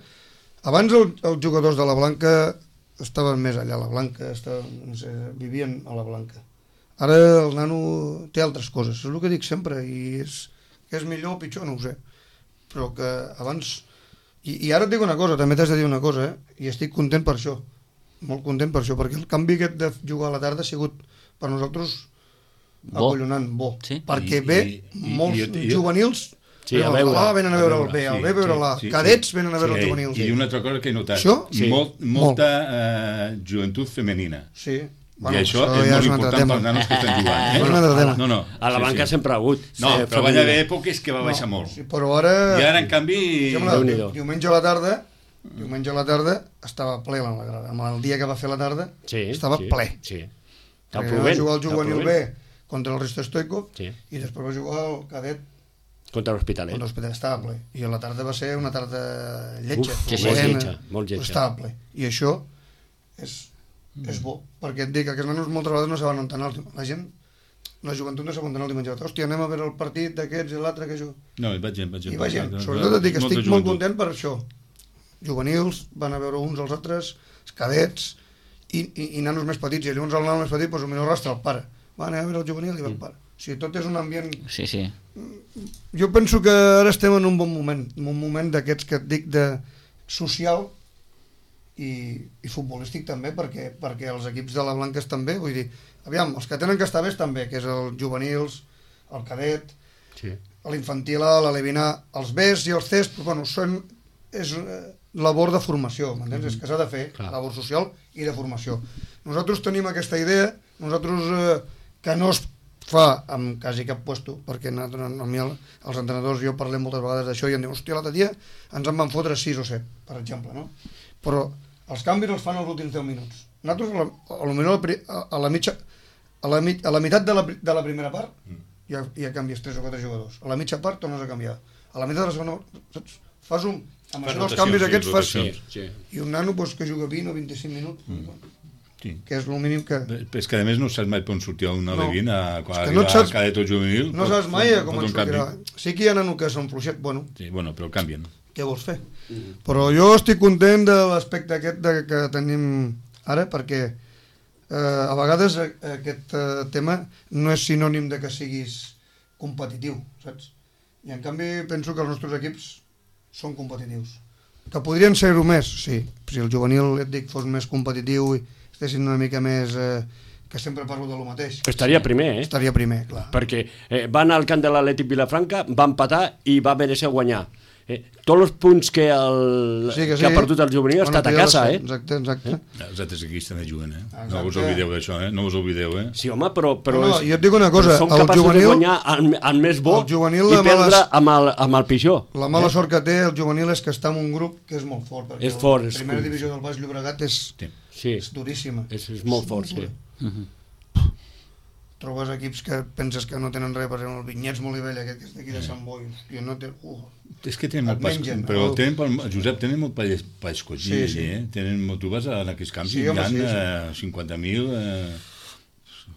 Speaker 4: abans els jugadors de la Blanca estaven més allà a la Blanca, vivien a la Blanca. Ara el nano té altres coses, és el que dic sempre, i és millor o pitjor, no ho sé. Però que abans... I ara et dic una cosa, també t'has de dir una cosa, i estic content per això, molt content per això, perquè el canvi aquest de jugar a la tarda ha sigut per nosaltres acollonant, bo. Sí? Perquè molts juvenils venen a veure el B, el B a veure l'A, cadets venen a veure els juvenils.
Speaker 3: I una altra cosa que he notat, molta joventut femenina.
Speaker 4: Sí.
Speaker 3: I això és molt important pels nanos que estan jugant.
Speaker 2: A la Blanca sempre ha hagut.
Speaker 3: No, però va haver èpoques que va baixar molt.
Speaker 4: Però ara...
Speaker 3: I ara, en canvi...
Speaker 4: Diumenge a la tarda estava ple la grada. El dia que va fer la tarda estava ple.
Speaker 2: Va
Speaker 4: jugar el juvenil B contra el Risto Stoikov i després va jugar el cadet
Speaker 2: contra l'Hospitalet.
Speaker 4: Estava ple. I a la tarda va ser una tarda
Speaker 2: lletja. Molt lletja.
Speaker 4: Estava ple. I això és bo, perquè et dic que aquests nanos moltes vegades no saben on anar. La gent, la joventut no sap on anar el diumenge. Hòstia, anem a veure el partit d'aquests i l'altre que jo...
Speaker 3: No, hi va gent.
Speaker 4: Sobretot et dic que estic molt content per això. Juvenils van a veure uns als altres, cadets i nanos més petits, i llavors el nano més petit potser arrastra el pare. Va anar a veure el juvenil i va el pare. O sigui, tot és un ambient...
Speaker 1: Sí.
Speaker 4: Jo penso que ara estem en un bon moment, un moment d'aquests que et dic de social i futbolístic també, perquè els equips de la Blanca estan bé, vull dir, aviam, els que tenen que estar bé estan bé, que és el juvenils, el cadet, l'infantil A, l'alevinar, els Bs i els Cs, però bueno, és labor de formació, m'entens? És que s'ha de fer labor social i de formació. Nosaltres tenim aquesta idea, que no es fa amb quasi cap puesto, perquè els entrenadors, jo parlem moltes vegades d'això i em diuen, hòstia, l'altre dia ens en van fotre 6 o 7, per exemple, no? Però els canvis els fan els últims 10 minuts. Nosaltres, a la meitat de la primera part, ja canvies 3 o 4 jugadors. A la mitja part tornes a canviar. A la meitat de la segona, saps? Fas amb això dels canvis aquests fas... I un nano que juga 20 o 25 minuts, que és el mínim que...
Speaker 3: És que a més no saps mai on sortir una levina quan arriba cadet o juvenil.
Speaker 4: No saps mai com et sortirà. Sí que hi ha nano que són fluixet, bueno.
Speaker 3: Sí, bueno, però canvien.
Speaker 4: Què vols fer? Però jo estic content de l'aspecte aquest que tenim ara, perquè a vegades aquest tema no és sinònim de que siguis competitiu, saps? I en canvi penso que els nostres equips són competitius. Que podrien ser-ho més, sí. Si el juvenil, et dic, fos més competitiu i estessin una mica més... que sempre parlo de lo mateix.
Speaker 2: Estaria primer,
Speaker 4: Estaria primer, clar.
Speaker 2: Perquè va anar al camp de l'Atlètic Vilafranca, va empatar i va mereixer guanyar. Tots els punts que ha perdut el juvenil ha estat a casa,
Speaker 4: Exacte.
Speaker 3: Els altres equips també juguen, No us oblideu d'això, No us oblideu,
Speaker 2: Sí, home, però
Speaker 4: jo et dic una cosa,
Speaker 2: són capaços de guanyar el més bo i perdre amb el pitjor.
Speaker 4: La mala sort que té el juvenil és que està en un grup que és molt fort.
Speaker 2: És fort.
Speaker 4: La primera divisió del Baix Llobregat és duríssima.
Speaker 2: És molt fort, sí.
Speaker 4: Trobes equips que penses que no tenen res, per exemple, el Vinyets Molivella, aquest que és d'aquí de Sant Boi, no té...
Speaker 3: És que tenen molt però Josep, tenen molt país cogill, tu vas a aquests camps i hi ha 50.000...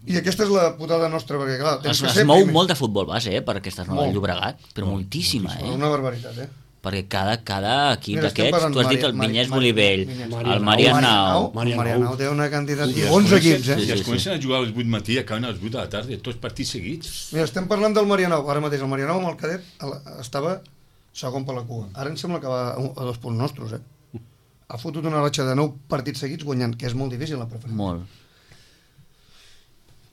Speaker 4: I aquesta és la putada nostra, perquè clar...
Speaker 1: Es mou molt de futbol base, per aquestes noves Llobregat, però moltíssima,
Speaker 4: Una barbaritat,
Speaker 1: perquè cada equip d'aquests, tu has dit el Vinyes Bolivell, el Marianao...
Speaker 4: Marianao té una quantitat... I 11 equips,
Speaker 3: I es comencen a jugar a les 8 matí i acaben a les 8 de la tarda, tots partits seguits.
Speaker 4: Mira, estem parlant del Marianao. Ara mateix el Marianao amb el cadet estava segon per la cua. Ara em sembla que va a 2 punts nostres, Ha fotut una ratxa de 9 partits seguits guanyant, que és molt difícil la preferència.
Speaker 1: Molt.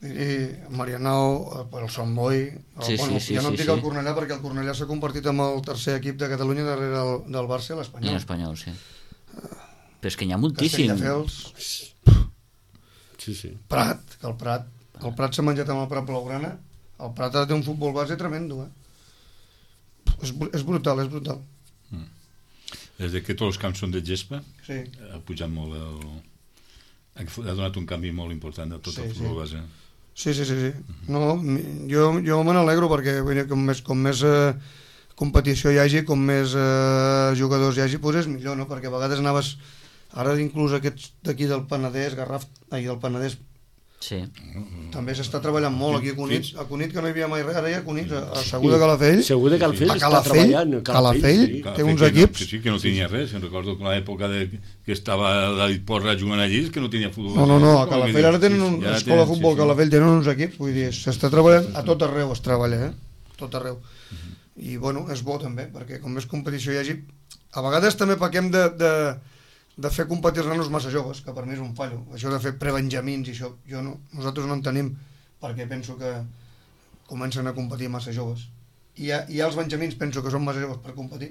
Speaker 4: I Marianao, el Sant Boi... Jo no em dic el Cornellà perquè el Cornellà s'ha convertit en el tercer equip de Catalunya darrere del Barça i l'Espanyol.
Speaker 1: I l'Espanyol, sí. Però és que n'hi ha moltíssim.
Speaker 4: Castelldefels...
Speaker 2: Sí.
Speaker 4: Prat, que el Prat s'ha menjat amb el Prat Blaugrana. El Prat té un futbol base tremendo, És brutal.
Speaker 3: Des que tots els camps són de gespa,
Speaker 4: Sí.
Speaker 3: ha pujat molt ha donat un canvi molt important a tot el futbol base.
Speaker 4: Sí. No, jo me n'alegro perquè com més competició hi hagi, com més jugadors hi hagi, doncs és millor, no? Perquè a vegades anaves... Ara inclús aquests d'aquí del Penedès, del Penedès,
Speaker 1: Sí.
Speaker 4: també s'està treballant molt aquí a Cunit, que no hi havia mai res, ara hi ha Cunit, a Segur de Calafell.
Speaker 2: Segur de Calafell està treballant.
Speaker 4: Calafell té uns equips...
Speaker 3: Sí, que no tenia res. Recordo que l'època que estava David Porra jugant allí, que no tenia futbol.
Speaker 4: No, a Calafell ara tenen una escola de futbol, Calafell tenen uns equips, vull dir, s'està treballant, a tot arreu es treballa, a tot arreu. I bueno, és bo també, perquè com més competició hi hagi... A vegades també pequem de fer competir els nanos massa joves, que per mi és un fallo. Això de fer prebenjamins i això, nosaltres no en tenim, perquè penso que comencen a competir massa joves. I els benjamins penso que són massa joves per competir.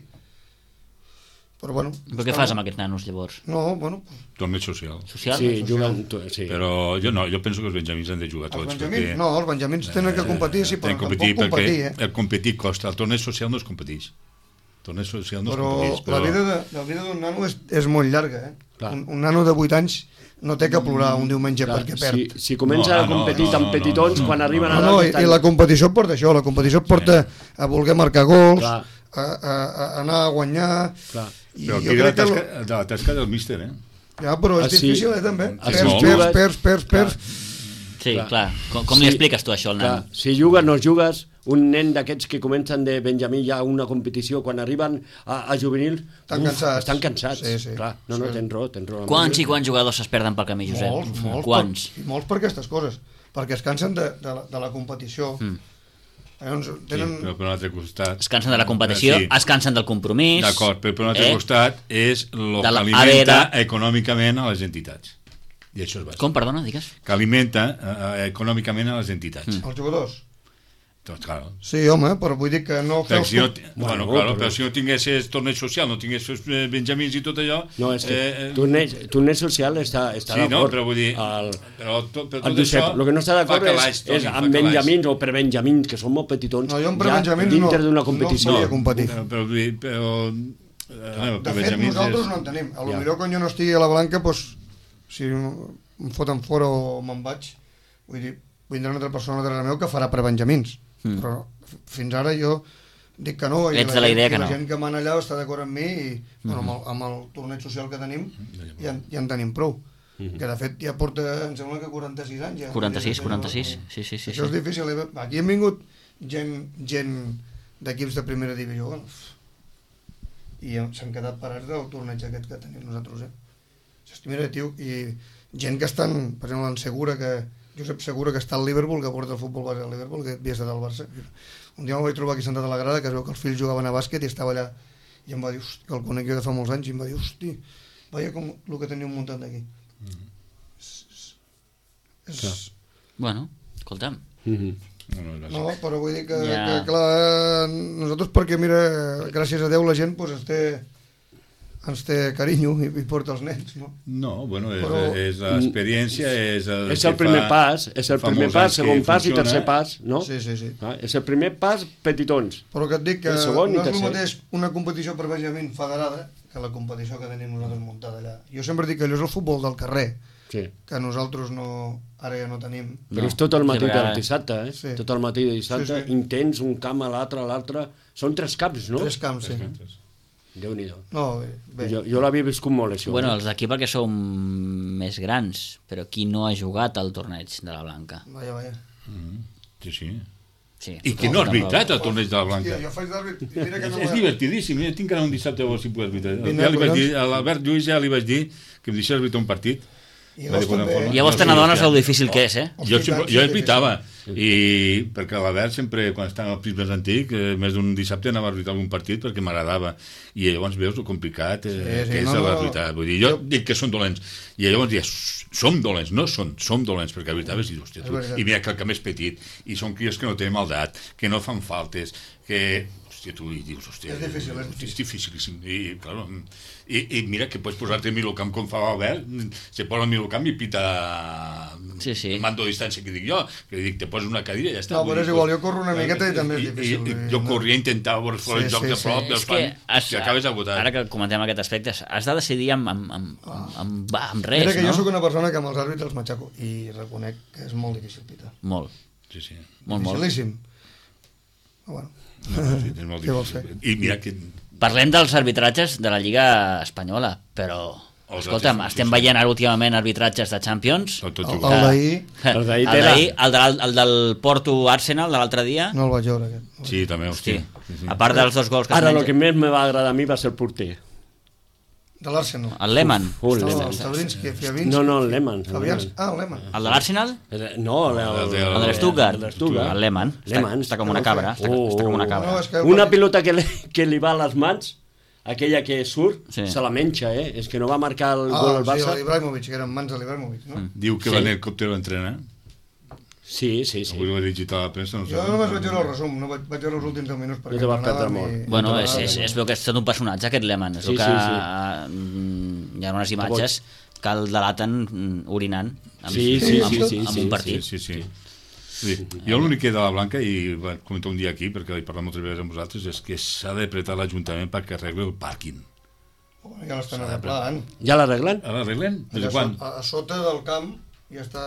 Speaker 4: Però bueno...
Speaker 1: Però què fas amb aquests nanos, llavors?
Speaker 4: No, bueno...
Speaker 3: Torneig social.
Speaker 1: Social?
Speaker 2: Sí, juguen... Sí.
Speaker 3: Però jo penso que els benjamins han de jugar tots.
Speaker 4: Els benjamins tenen que competir, sí, però
Speaker 3: tampoc competir, el competir costa. El torneig social no es competeix. Torneig social no es competeix.
Speaker 4: Però la vida d'un nano és molt llarga, Un nano de 8 anys no té que plorar un diumenge perquè perd.
Speaker 2: Si comença a competir tan petitons, quan arriben a l'edat...
Speaker 4: I la competició porta això, la competició porta a voler marcar gols, a anar a guanyar...
Speaker 3: Però aquí la tasca del míster,
Speaker 4: Ja, però és difícil, també. Perds.
Speaker 1: Sí, clar. Com li expliques tu això al nen?
Speaker 2: Si jugues, no jugues... Un nen d'aquests que comencen de Benjamí ja a una competició, quan arriben a juvenil estan cansats.
Speaker 4: Sí.
Speaker 2: Clar, no, tens raó.
Speaker 1: Quants i quants jugadors es perden pel camí, Josep?
Speaker 4: Molts. Molts per aquestes coses, perquè es cansen de la competició.
Speaker 3: Però per un altre costat...
Speaker 1: Es cansen de la competició, es cansen del compromís...
Speaker 3: D'acord, però per un altre costat és el que alimenta econòmicament a les entitats. I això és bàsic.
Speaker 1: Com, perdona, digues?
Speaker 3: Que alimenta econòmicament a les entitats.
Speaker 4: Els jugadors?
Speaker 3: Doncs, claro.
Speaker 4: Sí, home, però vull dir que no
Speaker 3: però si no tinguessis torneig social, no tinguessis benjamins i tot allò...
Speaker 2: No, és que torneig social està d'acord.
Speaker 3: Sí, no, però vull dir... Però tot
Speaker 2: això... El que no està d'acord és amb benjamins o per benjamins, que són molt petitons,
Speaker 4: jo per benjamins
Speaker 2: dintre d'una competició.
Speaker 4: No competir.
Speaker 3: De
Speaker 4: fet, nosaltres no en tenim. Potser quan jo no estigui a la Blanca, si em foten fora o me'n vaig, vull dir, vindrà una altra persona darrere meu que farà per benjamins. Però fins ara jo dic que no,
Speaker 1: ets de la idea que no.
Speaker 4: La gent que mana allà està d'acord amb mi i amb el torneig social que tenim ja en tenim prou, que de fet ja porta, em sembla que 46 anys
Speaker 1: 46, sí.
Speaker 4: Això és difícil, aquí han vingut gent d'equips de primera divisió i s'han quedat parats del torneig aquest que tenim nosaltres, mira, tio, i gent que estan, per exemple, en Segura, que Josep Segura, que està al Liverpool, que porta el futbol base al Liverpool, que havia estat al Barça. Un dia me'l vaig trobar aquí sentat a la grada, que es veu que els fills jugaven a bàsquet i estava allà, i em va dir, que el conec jo de fa molts anys, i em va dir, hosti, veia com el que teniu muntat d'aquí.
Speaker 1: Bueno, escolta'm.
Speaker 4: No, però vull dir que clar, nosaltres perquè, mira, gràcies a Déu la gent ens té carinyo i porta els nens, no?
Speaker 3: No, bueno, és l'experiència, és
Speaker 2: el primer pas, segon pas i tercer pas, no?
Speaker 4: Sí.
Speaker 2: És el primer pas petitons.
Speaker 4: Però que et dic que no és el mateix una competició per benjamins federada que la competició que tenim nosaltres muntada allà. Jo sempre dic que allò és el futbol del carrer, que nosaltres ara ja no tenim.
Speaker 2: Però és tot el matí del dissabte, tot el matí de dissabte, intens, un camp a l'altre, són 3 camps, no?
Speaker 4: 3 camps, sí.
Speaker 2: Déu-n'hi-do.
Speaker 4: No, bé.
Speaker 2: Jo l'havia viscut molt, això.
Speaker 1: Bueno, els d'aquí perquè som més grans, però qui no ha jugat al torneig de la Blanca?
Speaker 4: Vaja.
Speaker 3: Sí.
Speaker 1: Sí,
Speaker 3: I que no ha arbitrat el torneig de la Blanca.
Speaker 4: Jo faig d'àrbit, mira que no...
Speaker 3: És divertidíssim, tinc anar un dissabte a veure si puc arbitrar.
Speaker 4: Vine,
Speaker 3: Ja li vaig
Speaker 4: collons.
Speaker 3: dir, a l'Albert Lluís ja li vaig dir que em deixés arbitrar un partit.
Speaker 4: I llavors també...
Speaker 1: Llavors te n'adones el difícil que és,
Speaker 3: Jo arbitava, i perquè l'Albert sempre, quan estava al Prismes Antic, més d'un dissabte anava a arbitrar algun partit perquè m'agradava, i llavors veus el complicat que és l'arbitrar. Vull dir, jo dic que són dolents, i llavors dius, som dolents, no som dolents, perquè arbitraves i dius, hòstia, tu, i mira que el camp és petit, i són crios que no tenen maldat, que no fan faltes, que... Hòstia, tu dius, hòstia... És difícilíssim. I, claro, i mira que pots posar-te a Milocamp com fa l'Albert, se posa al Milocamp i pita el mando de distància que dic jo, que dic, te poses una cadira i ja està.
Speaker 4: No, però és igual, jo corro una miqueta i també és difícil.
Speaker 3: Jo corria i intentava veure fora el joc de prop,
Speaker 1: És que
Speaker 3: acabes agotat.
Speaker 1: ara que comentem aquest aspecte, has de decidir amb res,
Speaker 4: mira que jo
Speaker 1: no?
Speaker 4: sóc una persona que amb els àrbitres m'aixaco i reconec que és molt difícil pitar.
Speaker 1: Molt.
Speaker 3: Sí.
Speaker 1: Molt.
Speaker 4: Dificilíssim. Però bueno.
Speaker 3: És molt difícil. I mira que...
Speaker 1: Parlem dels arbitratges de la Lliga Espanyola, però... Escolta'm, estem veient ara últimament arbitratges de Champions.
Speaker 4: El
Speaker 2: d'ahir,
Speaker 1: el del Porto-Arsenal de l'altre dia.
Speaker 4: no el vaig veure, aquest.
Speaker 3: Sí, també, hòstia.
Speaker 1: A part dels 2 gols que
Speaker 2: ara el que més me va agradar a mi va ser el porter.
Speaker 4: De l'Arsenal.
Speaker 1: El Lehmann.
Speaker 4: El Stavrinski, Fiavinski.
Speaker 2: No, el Lehmann.
Speaker 4: El Lehmann.
Speaker 1: El de l'Arsenal?
Speaker 2: No,
Speaker 1: El de l'Stuttgart. El Lehmann. Està com una cabra. Està com una cabra.
Speaker 2: Una pilota que li va a les mans, aquella que surt, se la menja, És que no va marcar el gol al Barça.
Speaker 4: Sí, l'Ibrahimovic, que eren mans de l'Ibrahimovic, no?
Speaker 3: Diu que va en helicòptero a entrenar.
Speaker 2: Sí.
Speaker 3: Avui ho he llegit a la premsa.
Speaker 4: Jo només vaig veure el resum, no vaig veure els últims 10 minuts perquè
Speaker 2: no te vas perdre molt.
Speaker 1: Bueno, és veu que és tot un personatge aquest Lehmann, és el que hi ha unes imatges que el delaten orinant amb un partit.
Speaker 3: Sí. Jo l'únic que de la Blanca, i vaig comentar un dia aquí perquè he parlat moltes vegades amb vosaltres, és que s'ha d'apretar l'Ajuntament perquè arregli el pàrquing.
Speaker 4: Ja l'estan arreglant.
Speaker 2: Ja l'arreglen?
Speaker 3: L'arreglen? Des de quan?
Speaker 4: A sota del camp ja està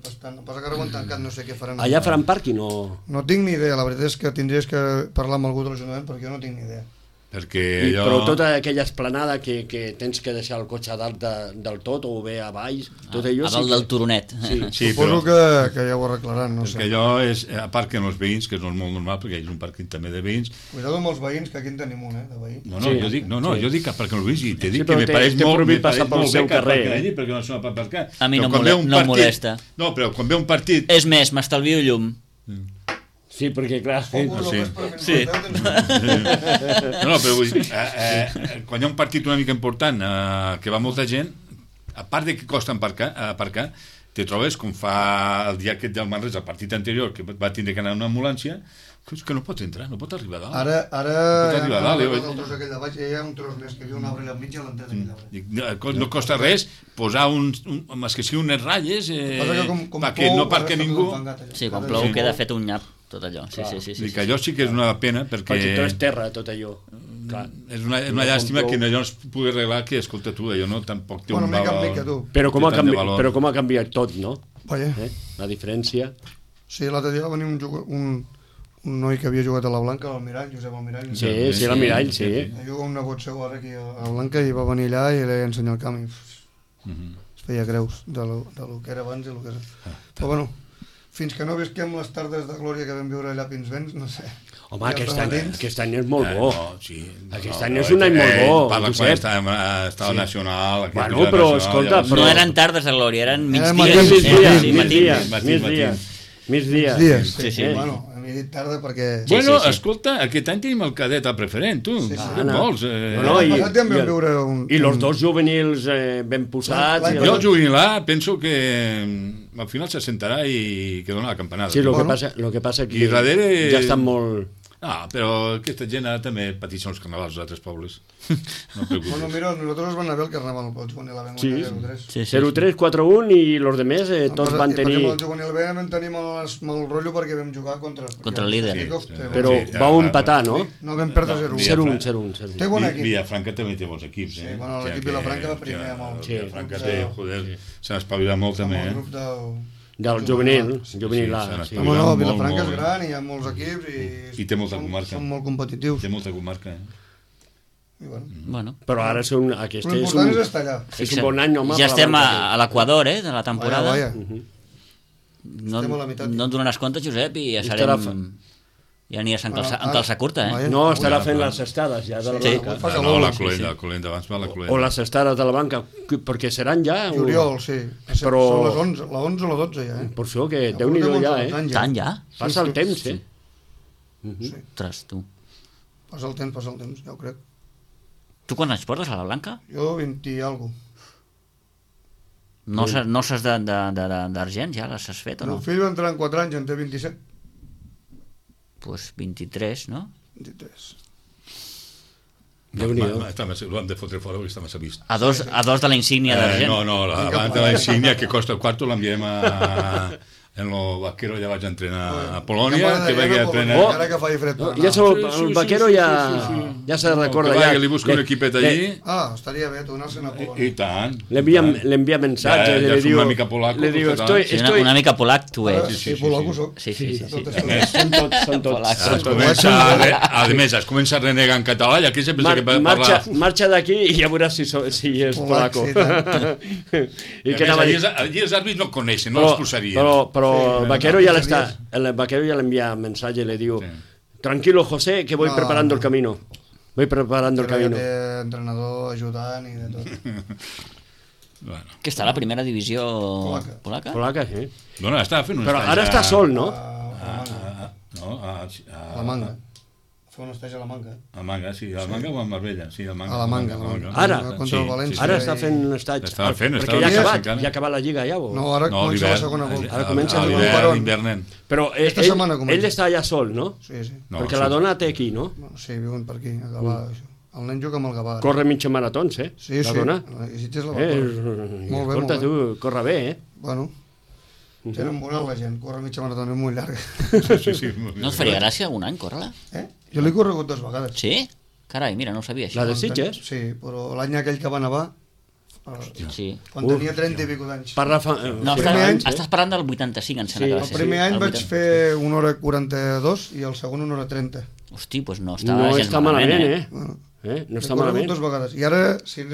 Speaker 4: bastant... Passa que ara ho han tancat, no sé què faran.
Speaker 2: Allà faran pàrquing o...?
Speaker 4: No tinc ni idea, la veritat és que tindries que parlar amb algú de l'Ajuntament perquè jo no tinc ni idea.
Speaker 2: Però tota aquella esplanada que tens que deixar el cotxe a dalt del tot o bé a baix, tot allò...
Speaker 1: A dalt del turonet.
Speaker 4: Suposo que ja ho arreglaran, no sé.
Speaker 3: Perquè allò és, a part que en els veïns, que és molt normal, perquè hi ha un pàrquing també de veïns...
Speaker 4: Cuidado amb els veïns, que aquí en tenim un, de veí.
Speaker 3: Jo dic que perquè els veïns, i t'he dit que me pareix molt bé perquè no se m'ha aparcar.
Speaker 1: A mi no em molesta.
Speaker 3: No, però quan ve un partit...
Speaker 1: És més, m'estalvio llum.
Speaker 2: Sí, perquè clar...
Speaker 1: Sí.
Speaker 3: No, però vull dir, quan hi ha un partit una mica important que va molta gent, a part de que costa aparcar, te trobes com fa el dia aquest del Manresa, el partit anterior, que va tindre que anar a una ambulància, que no pot entrar, no pot arribar a dalt.
Speaker 4: Ara el tros aquell de baix, hi ha un tros més que viu un arbre al mig i a l'entrada d'aquell arbre.
Speaker 3: No costa res posar més que sigui unes ratlles perquè no perquè ningú...
Speaker 1: Sí, quan plou queda fet un nyap tot allò. Sí.
Speaker 3: Que allò sí que és una pena perquè
Speaker 2: tot és terra, tot allò.
Speaker 3: És una llàstima que allò no es pugui arreglar, que escolta tu, allò no tampoc té un valor.
Speaker 2: Però com ha canviat tot, no?
Speaker 4: Vaja.
Speaker 2: La diferència.
Speaker 4: Sí, l'altre dia va venir un noi que havia jugat a la Blanca, l'Almirall, Josep Almirall.
Speaker 2: Sí, l'Almirall, sí.
Speaker 4: Juga un nebot seu ara aquí a la Blanca i va venir allà i li ensenyar el camp i es feia greus de lo que era abans i el que és. Però bueno, fins que no visquem les tardes de glòria que vam viure allà a Pinsbens, no sé.
Speaker 2: Home, aquest any és molt bo. Aquest any és un any molt bo.
Speaker 3: Parla quan estava nacional.
Speaker 2: Bueno, però escolta...
Speaker 1: No eren tardes de glòria, eren
Speaker 2: migdies.
Speaker 1: Sí.
Speaker 4: Bueno, he dit tarda perquè...
Speaker 3: Bueno, escolta, aquest any tenim el cadet al preferent, tu. Què vols?
Speaker 2: I els dos juvenils ben posats...
Speaker 3: Jo el juvenil A penso que al final s'assentarà i que dona la campanada.
Speaker 2: Sí, el que passa que ja estan molt...
Speaker 3: Ah, però aquesta gent ara també pateixen els carnavals als altres pobles. No
Speaker 4: bueno, mira, nosaltres van anar bé el carnaval, el juvenil A vam guanyar 0-3.
Speaker 2: 0-3, 4-1 i els demés tots van tenir...
Speaker 4: Per exemple, el juvenil B vam tenir molt rotllo perquè vam jugar contra
Speaker 1: el líder.
Speaker 2: Però vau empatar, no?
Speaker 4: No, vam perdre 0-1.
Speaker 2: 0-1.
Speaker 4: Té bon equip.
Speaker 3: Vilafranca també té bons equips.
Speaker 4: Sí, bueno, l'equip Vilafranca va primer amb el...
Speaker 3: Vilafranca té, joder, s'ha espavilat molt també.
Speaker 4: Amb el grup
Speaker 2: del juvenil A.
Speaker 4: No, Vilafranca és gran i hi ha molts equips
Speaker 3: i té molta comarca.
Speaker 4: Són molt competitius.
Speaker 3: Té molta comarca,
Speaker 1: Bueno.
Speaker 2: Però ara aquest
Speaker 4: l'important és estar allà.
Speaker 2: És un bon any, home.
Speaker 1: Ja estem a l'equador, de la temporada.
Speaker 4: Vaya.
Speaker 1: No et donaràs compte, Josep, i ja serem... Ja aniràs amb calça curta,
Speaker 2: No, estarà fent les estades ja de la banca.
Speaker 3: No, la Colenda, abans va la Colenda.
Speaker 2: O les estades de la banca, perquè seran ja...
Speaker 4: Juliol, sí.
Speaker 2: Però...
Speaker 4: Són les 11, la 11 o la 12 ja,
Speaker 2: Per això que Déu-n'hi-do ja,
Speaker 1: Tant ja?
Speaker 2: Passa el temps,
Speaker 1: Ostres, tu.
Speaker 4: Passa el temps, ja ho crec.
Speaker 1: Tu quants anys portes a la Blanca?
Speaker 4: Jo 20 i alguna
Speaker 1: cosa. No saps d'argent, ja les has fet o no?
Speaker 4: El fill va entrar en 4 anys, en té 27.
Speaker 1: Pues 23, no?
Speaker 4: 23.
Speaker 3: Lo han de fotre fora perquè està massa vist.
Speaker 1: A dos de la insígnia d'argent.
Speaker 3: No, abans de la insígnia que costa el quarto l'enviem en el vaquero, ja vaig entrenar a Polònia, que vaig entrenar...
Speaker 4: Ara que faci fred.
Speaker 2: Ja el vaquero ja se recorda.
Speaker 3: Que li busco un equipet allí.
Speaker 4: Estaria bé, tornar-se'n a Polònia.
Speaker 3: I tant.
Speaker 2: Le envia mensatges.
Speaker 3: Ja som una mica polaco.
Speaker 1: Una mica polac tu ets.
Speaker 4: Sí, polaco soc.
Speaker 1: Sí.
Speaker 2: Són tots.
Speaker 3: A més, es comença a renegar en català i aquí sempre que parla...
Speaker 2: Marxa d'aquí i ja veuràs si és polaco.
Speaker 3: Allí els àrbits no coneixen, no els posarien.
Speaker 2: Pero el vaquero ya le envía mensaje y le digo, tranquilo José, que voy preparando el camino. Voy preparando el camino.
Speaker 4: Entrenador, ayudant y de todo.
Speaker 1: Que està a la primera divisió polaca?
Speaker 2: Polaca, sí.
Speaker 3: Bueno, estava fent un
Speaker 2: Però ara està sol, no?
Speaker 4: A la Manga. Fa un estage a la Manga.
Speaker 3: A Manga, sí. A la Manga o a Marbella? Sí, a
Speaker 4: la Manga.
Speaker 2: Ara?
Speaker 4: Contra el València.
Speaker 2: Ara està fent un estage.
Speaker 3: Estava fent,
Speaker 2: perquè ja ha acabat la Lliga ja, o?
Speaker 4: No, ara comença la segona volta.
Speaker 2: Ara comença
Speaker 3: l'hivern.
Speaker 2: Però ell està allà sol, no?
Speaker 4: Sí.
Speaker 2: Perquè la dona té aquí, no?
Speaker 4: Sí, viuen per aquí, a Gavà. El nen juga amb el Gavà.
Speaker 2: Corre mitja maratons,
Speaker 4: Sí.
Speaker 2: La dona.
Speaker 4: I si tens la molt bé.
Speaker 2: Escolta, tu, corre bé,
Speaker 4: Bueno, tenen moral la gent, corre mitja maratona, és molt llarga.
Speaker 3: Sí.
Speaker 1: No et faria gràcia algun any córrer-la?
Speaker 4: Jo l'he corregut 2 vegades.
Speaker 1: Sí? Carai, mira, no ho sabia, això.
Speaker 2: La de Sitges?
Speaker 4: Sí, però l'any aquell que va nevar, quan tenia 30 i pico d'anys.
Speaker 1: No, estàs parlant del 85, em sembla que va ser.
Speaker 4: El primer any vaig fer 1 hora 42 i el segon 1 hora 30.
Speaker 1: Hosti, doncs no està
Speaker 2: malament,
Speaker 4: No està malament. 2 vegades. I ara, si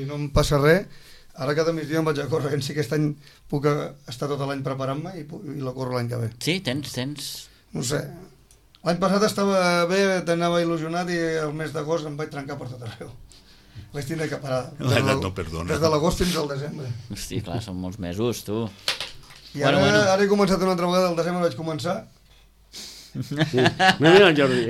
Speaker 4: no em passa res, ara cada migdia em vaig a córrer, si aquest any puc estar tot l'any preparant-me i la corro l'any que ve.
Speaker 1: Sí, tens...
Speaker 4: No sé. L'any passat estava bé, t'anava il·lusionat i el mes d'agost em vaig trencar per tot arreu. Vaig tindre que parar.
Speaker 3: L'edat no perdona.
Speaker 4: Des de l'agost fins al desembre.
Speaker 1: Hosti, clar, són molts mesos, tu.
Speaker 4: I ara he començat una altra vegada, al desembre vaig començar.
Speaker 2: Mira el Jordi.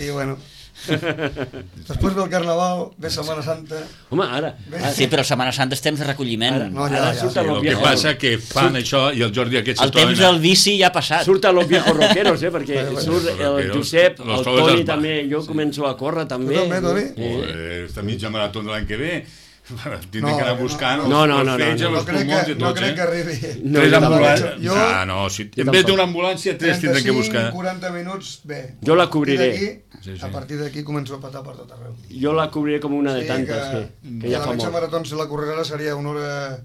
Speaker 4: I bueno... Després ve el Carnaval, ve Setmana Santa.
Speaker 2: Home, ara.
Speaker 1: Sí, però Setmana Santa és temps de recolliment.
Speaker 3: El que passa que fan això i el Jordi aquest
Speaker 1: el temps del bici ja ha passat.
Speaker 2: Surten los viejos rockeros, perquè surt el Josep, el Toni també, jo començo a córrer també.
Speaker 4: Tu també, Toni?
Speaker 3: Està mitja marató de l'any que ve. Tindrem que anar buscant
Speaker 4: no crec que arribi.
Speaker 3: En vez d'una ambulància 3 tindrem que buscar.
Speaker 4: 40 minuts, bé.
Speaker 2: Jo la cobriré.
Speaker 4: A partir d'aquí començo a patar per tot arreu.
Speaker 2: Jo la cobriré com una de tantes que ja fa molt.
Speaker 4: La mitja marató, si la correrà, seria 1 hora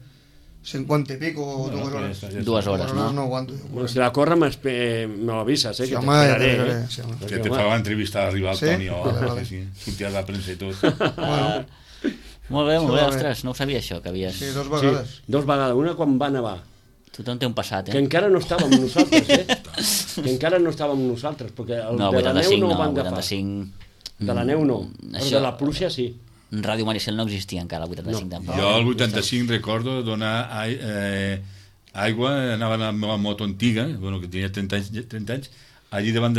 Speaker 4: 50 i pico o 2 hores.
Speaker 1: 2 hores, no?
Speaker 4: No aguanto.
Speaker 2: Si la corre me l'avises, que t'esperaré.
Speaker 3: Que te fa l'entrevista d'arribar al Toni sortir a la premsa i tot.
Speaker 1: Molt bé, ostres, no ho sabia això, que havies...
Speaker 4: Sí, 2 vegades.
Speaker 2: 2 vegades, una quan va nevar.
Speaker 1: Tothom té un passat,
Speaker 2: Que encara no estàvem nosaltres, Que encara no estàvem nosaltres, perquè el de la neu no ho van agafar. De la neu no, però de la pluja sí.
Speaker 1: Ràdio Maricel no existia encara, el 85 tampoc.
Speaker 3: Jo el 85 recordo donar aigua, anava a la meva moto antiga, que tenia 30 anys, allí davant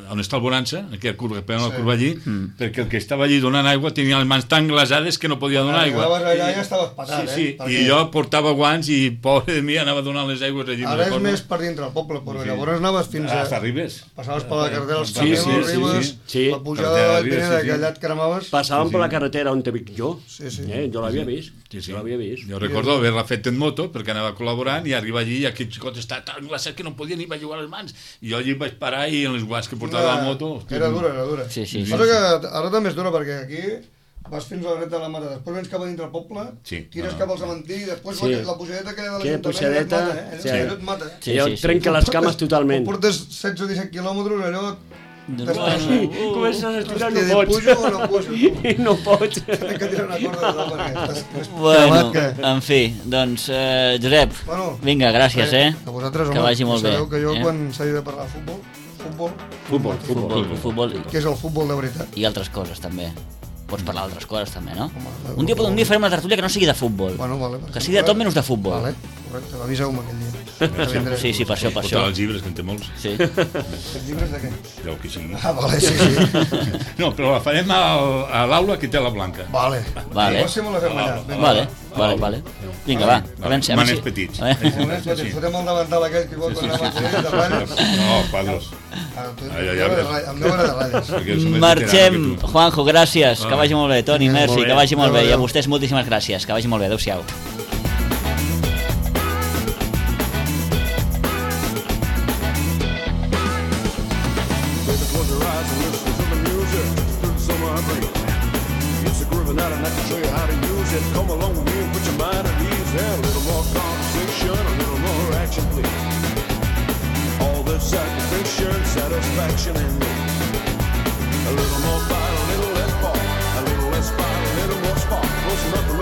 Speaker 3: on està el Bonança, aquella curva, la curva allí, perquè el que estava allí donant aigua tenia les mans tan glaçades que no podia donar aigua.
Speaker 4: Allà ja estaves patat,
Speaker 3: I jo portava guants i, pobre de mi, anava donant les aigües allí.
Speaker 4: Ara és més per dintre del poble, però llavors anaves fins a...
Speaker 3: Hasta Ribes.
Speaker 4: Passaves per la carretera dels Camils, Ribes, la pujada de la Pineda, que allà et cremaves...
Speaker 2: Passàvem per la carretera on te vic jo. Jo l'havia vist.
Speaker 3: Jo recordo haver-la fet en moto, perquè anava col·laborant, i arriba allí i aquell xicot estava tan glaçat que no podia ni bellugar les mans. I jo allí vaig parar i en les guants que portava la moto...
Speaker 4: Era dura.
Speaker 1: Sí.
Speaker 4: Passa que ara també és dura, perquè aquí vas fins a la dreta de la mata, després vens cap a dintre el poble, tires cap al cementiri, després la pujadeta que hi ha de l'Ajuntament et mata.
Speaker 2: Jo trenca les cames totalment.
Speaker 4: Portes 16 o 17 quilòmetres, allò...
Speaker 2: Comences a estirar, no pots.
Speaker 4: Pujo o no pujo?
Speaker 2: No pots.
Speaker 4: Tenen que tirar una corda de perquè...
Speaker 1: Bueno, en fi, doncs, Josep, vinga, gràcies,
Speaker 4: A vosaltres,
Speaker 1: que vagi molt bé.
Speaker 4: Sabeu que jo quan s'ha de parlar de futbol
Speaker 1: futbol
Speaker 4: que és el futbol de veritat.
Speaker 1: i altres coses també. Pots parlar d'altres coses també, no? Un dia farem una tertúlia que no sigui de futbol,
Speaker 4: Bueno, vale,
Speaker 1: que sigui de tot menys de futbol.
Speaker 4: Vale, correcte, aviseu-me aquell dia.
Speaker 1: Sí, per això.
Speaker 3: Portar els llibres, que en té molts.
Speaker 1: Sí.
Speaker 4: Els llibres de què?
Speaker 3: Del que sigui.
Speaker 4: Vale, sí.
Speaker 3: No, però la farem a l'aula que té la Blanca.
Speaker 4: Vale.
Speaker 1: Vale. Vale. Vinga, va.
Speaker 3: Maners petits.
Speaker 4: Fotem el davantal aquell que vol anar a la de ratlles.
Speaker 3: No, quadros.
Speaker 4: El meu era de ratlles.
Speaker 1: Marxem, Juanjo, gràcies, que vagi molt bé. Toni, merci, que vagi molt bé. I a vostès moltíssimes gràcies, que vagi molt bé. Adéu-siau.
Speaker 5: Come along with me and put your mind at ease. A little more conversation, a little more action, please. All this satisfaction, satisfaction in me. A little more fight, a little less fall. A little less fight, a little more spark. Close enough to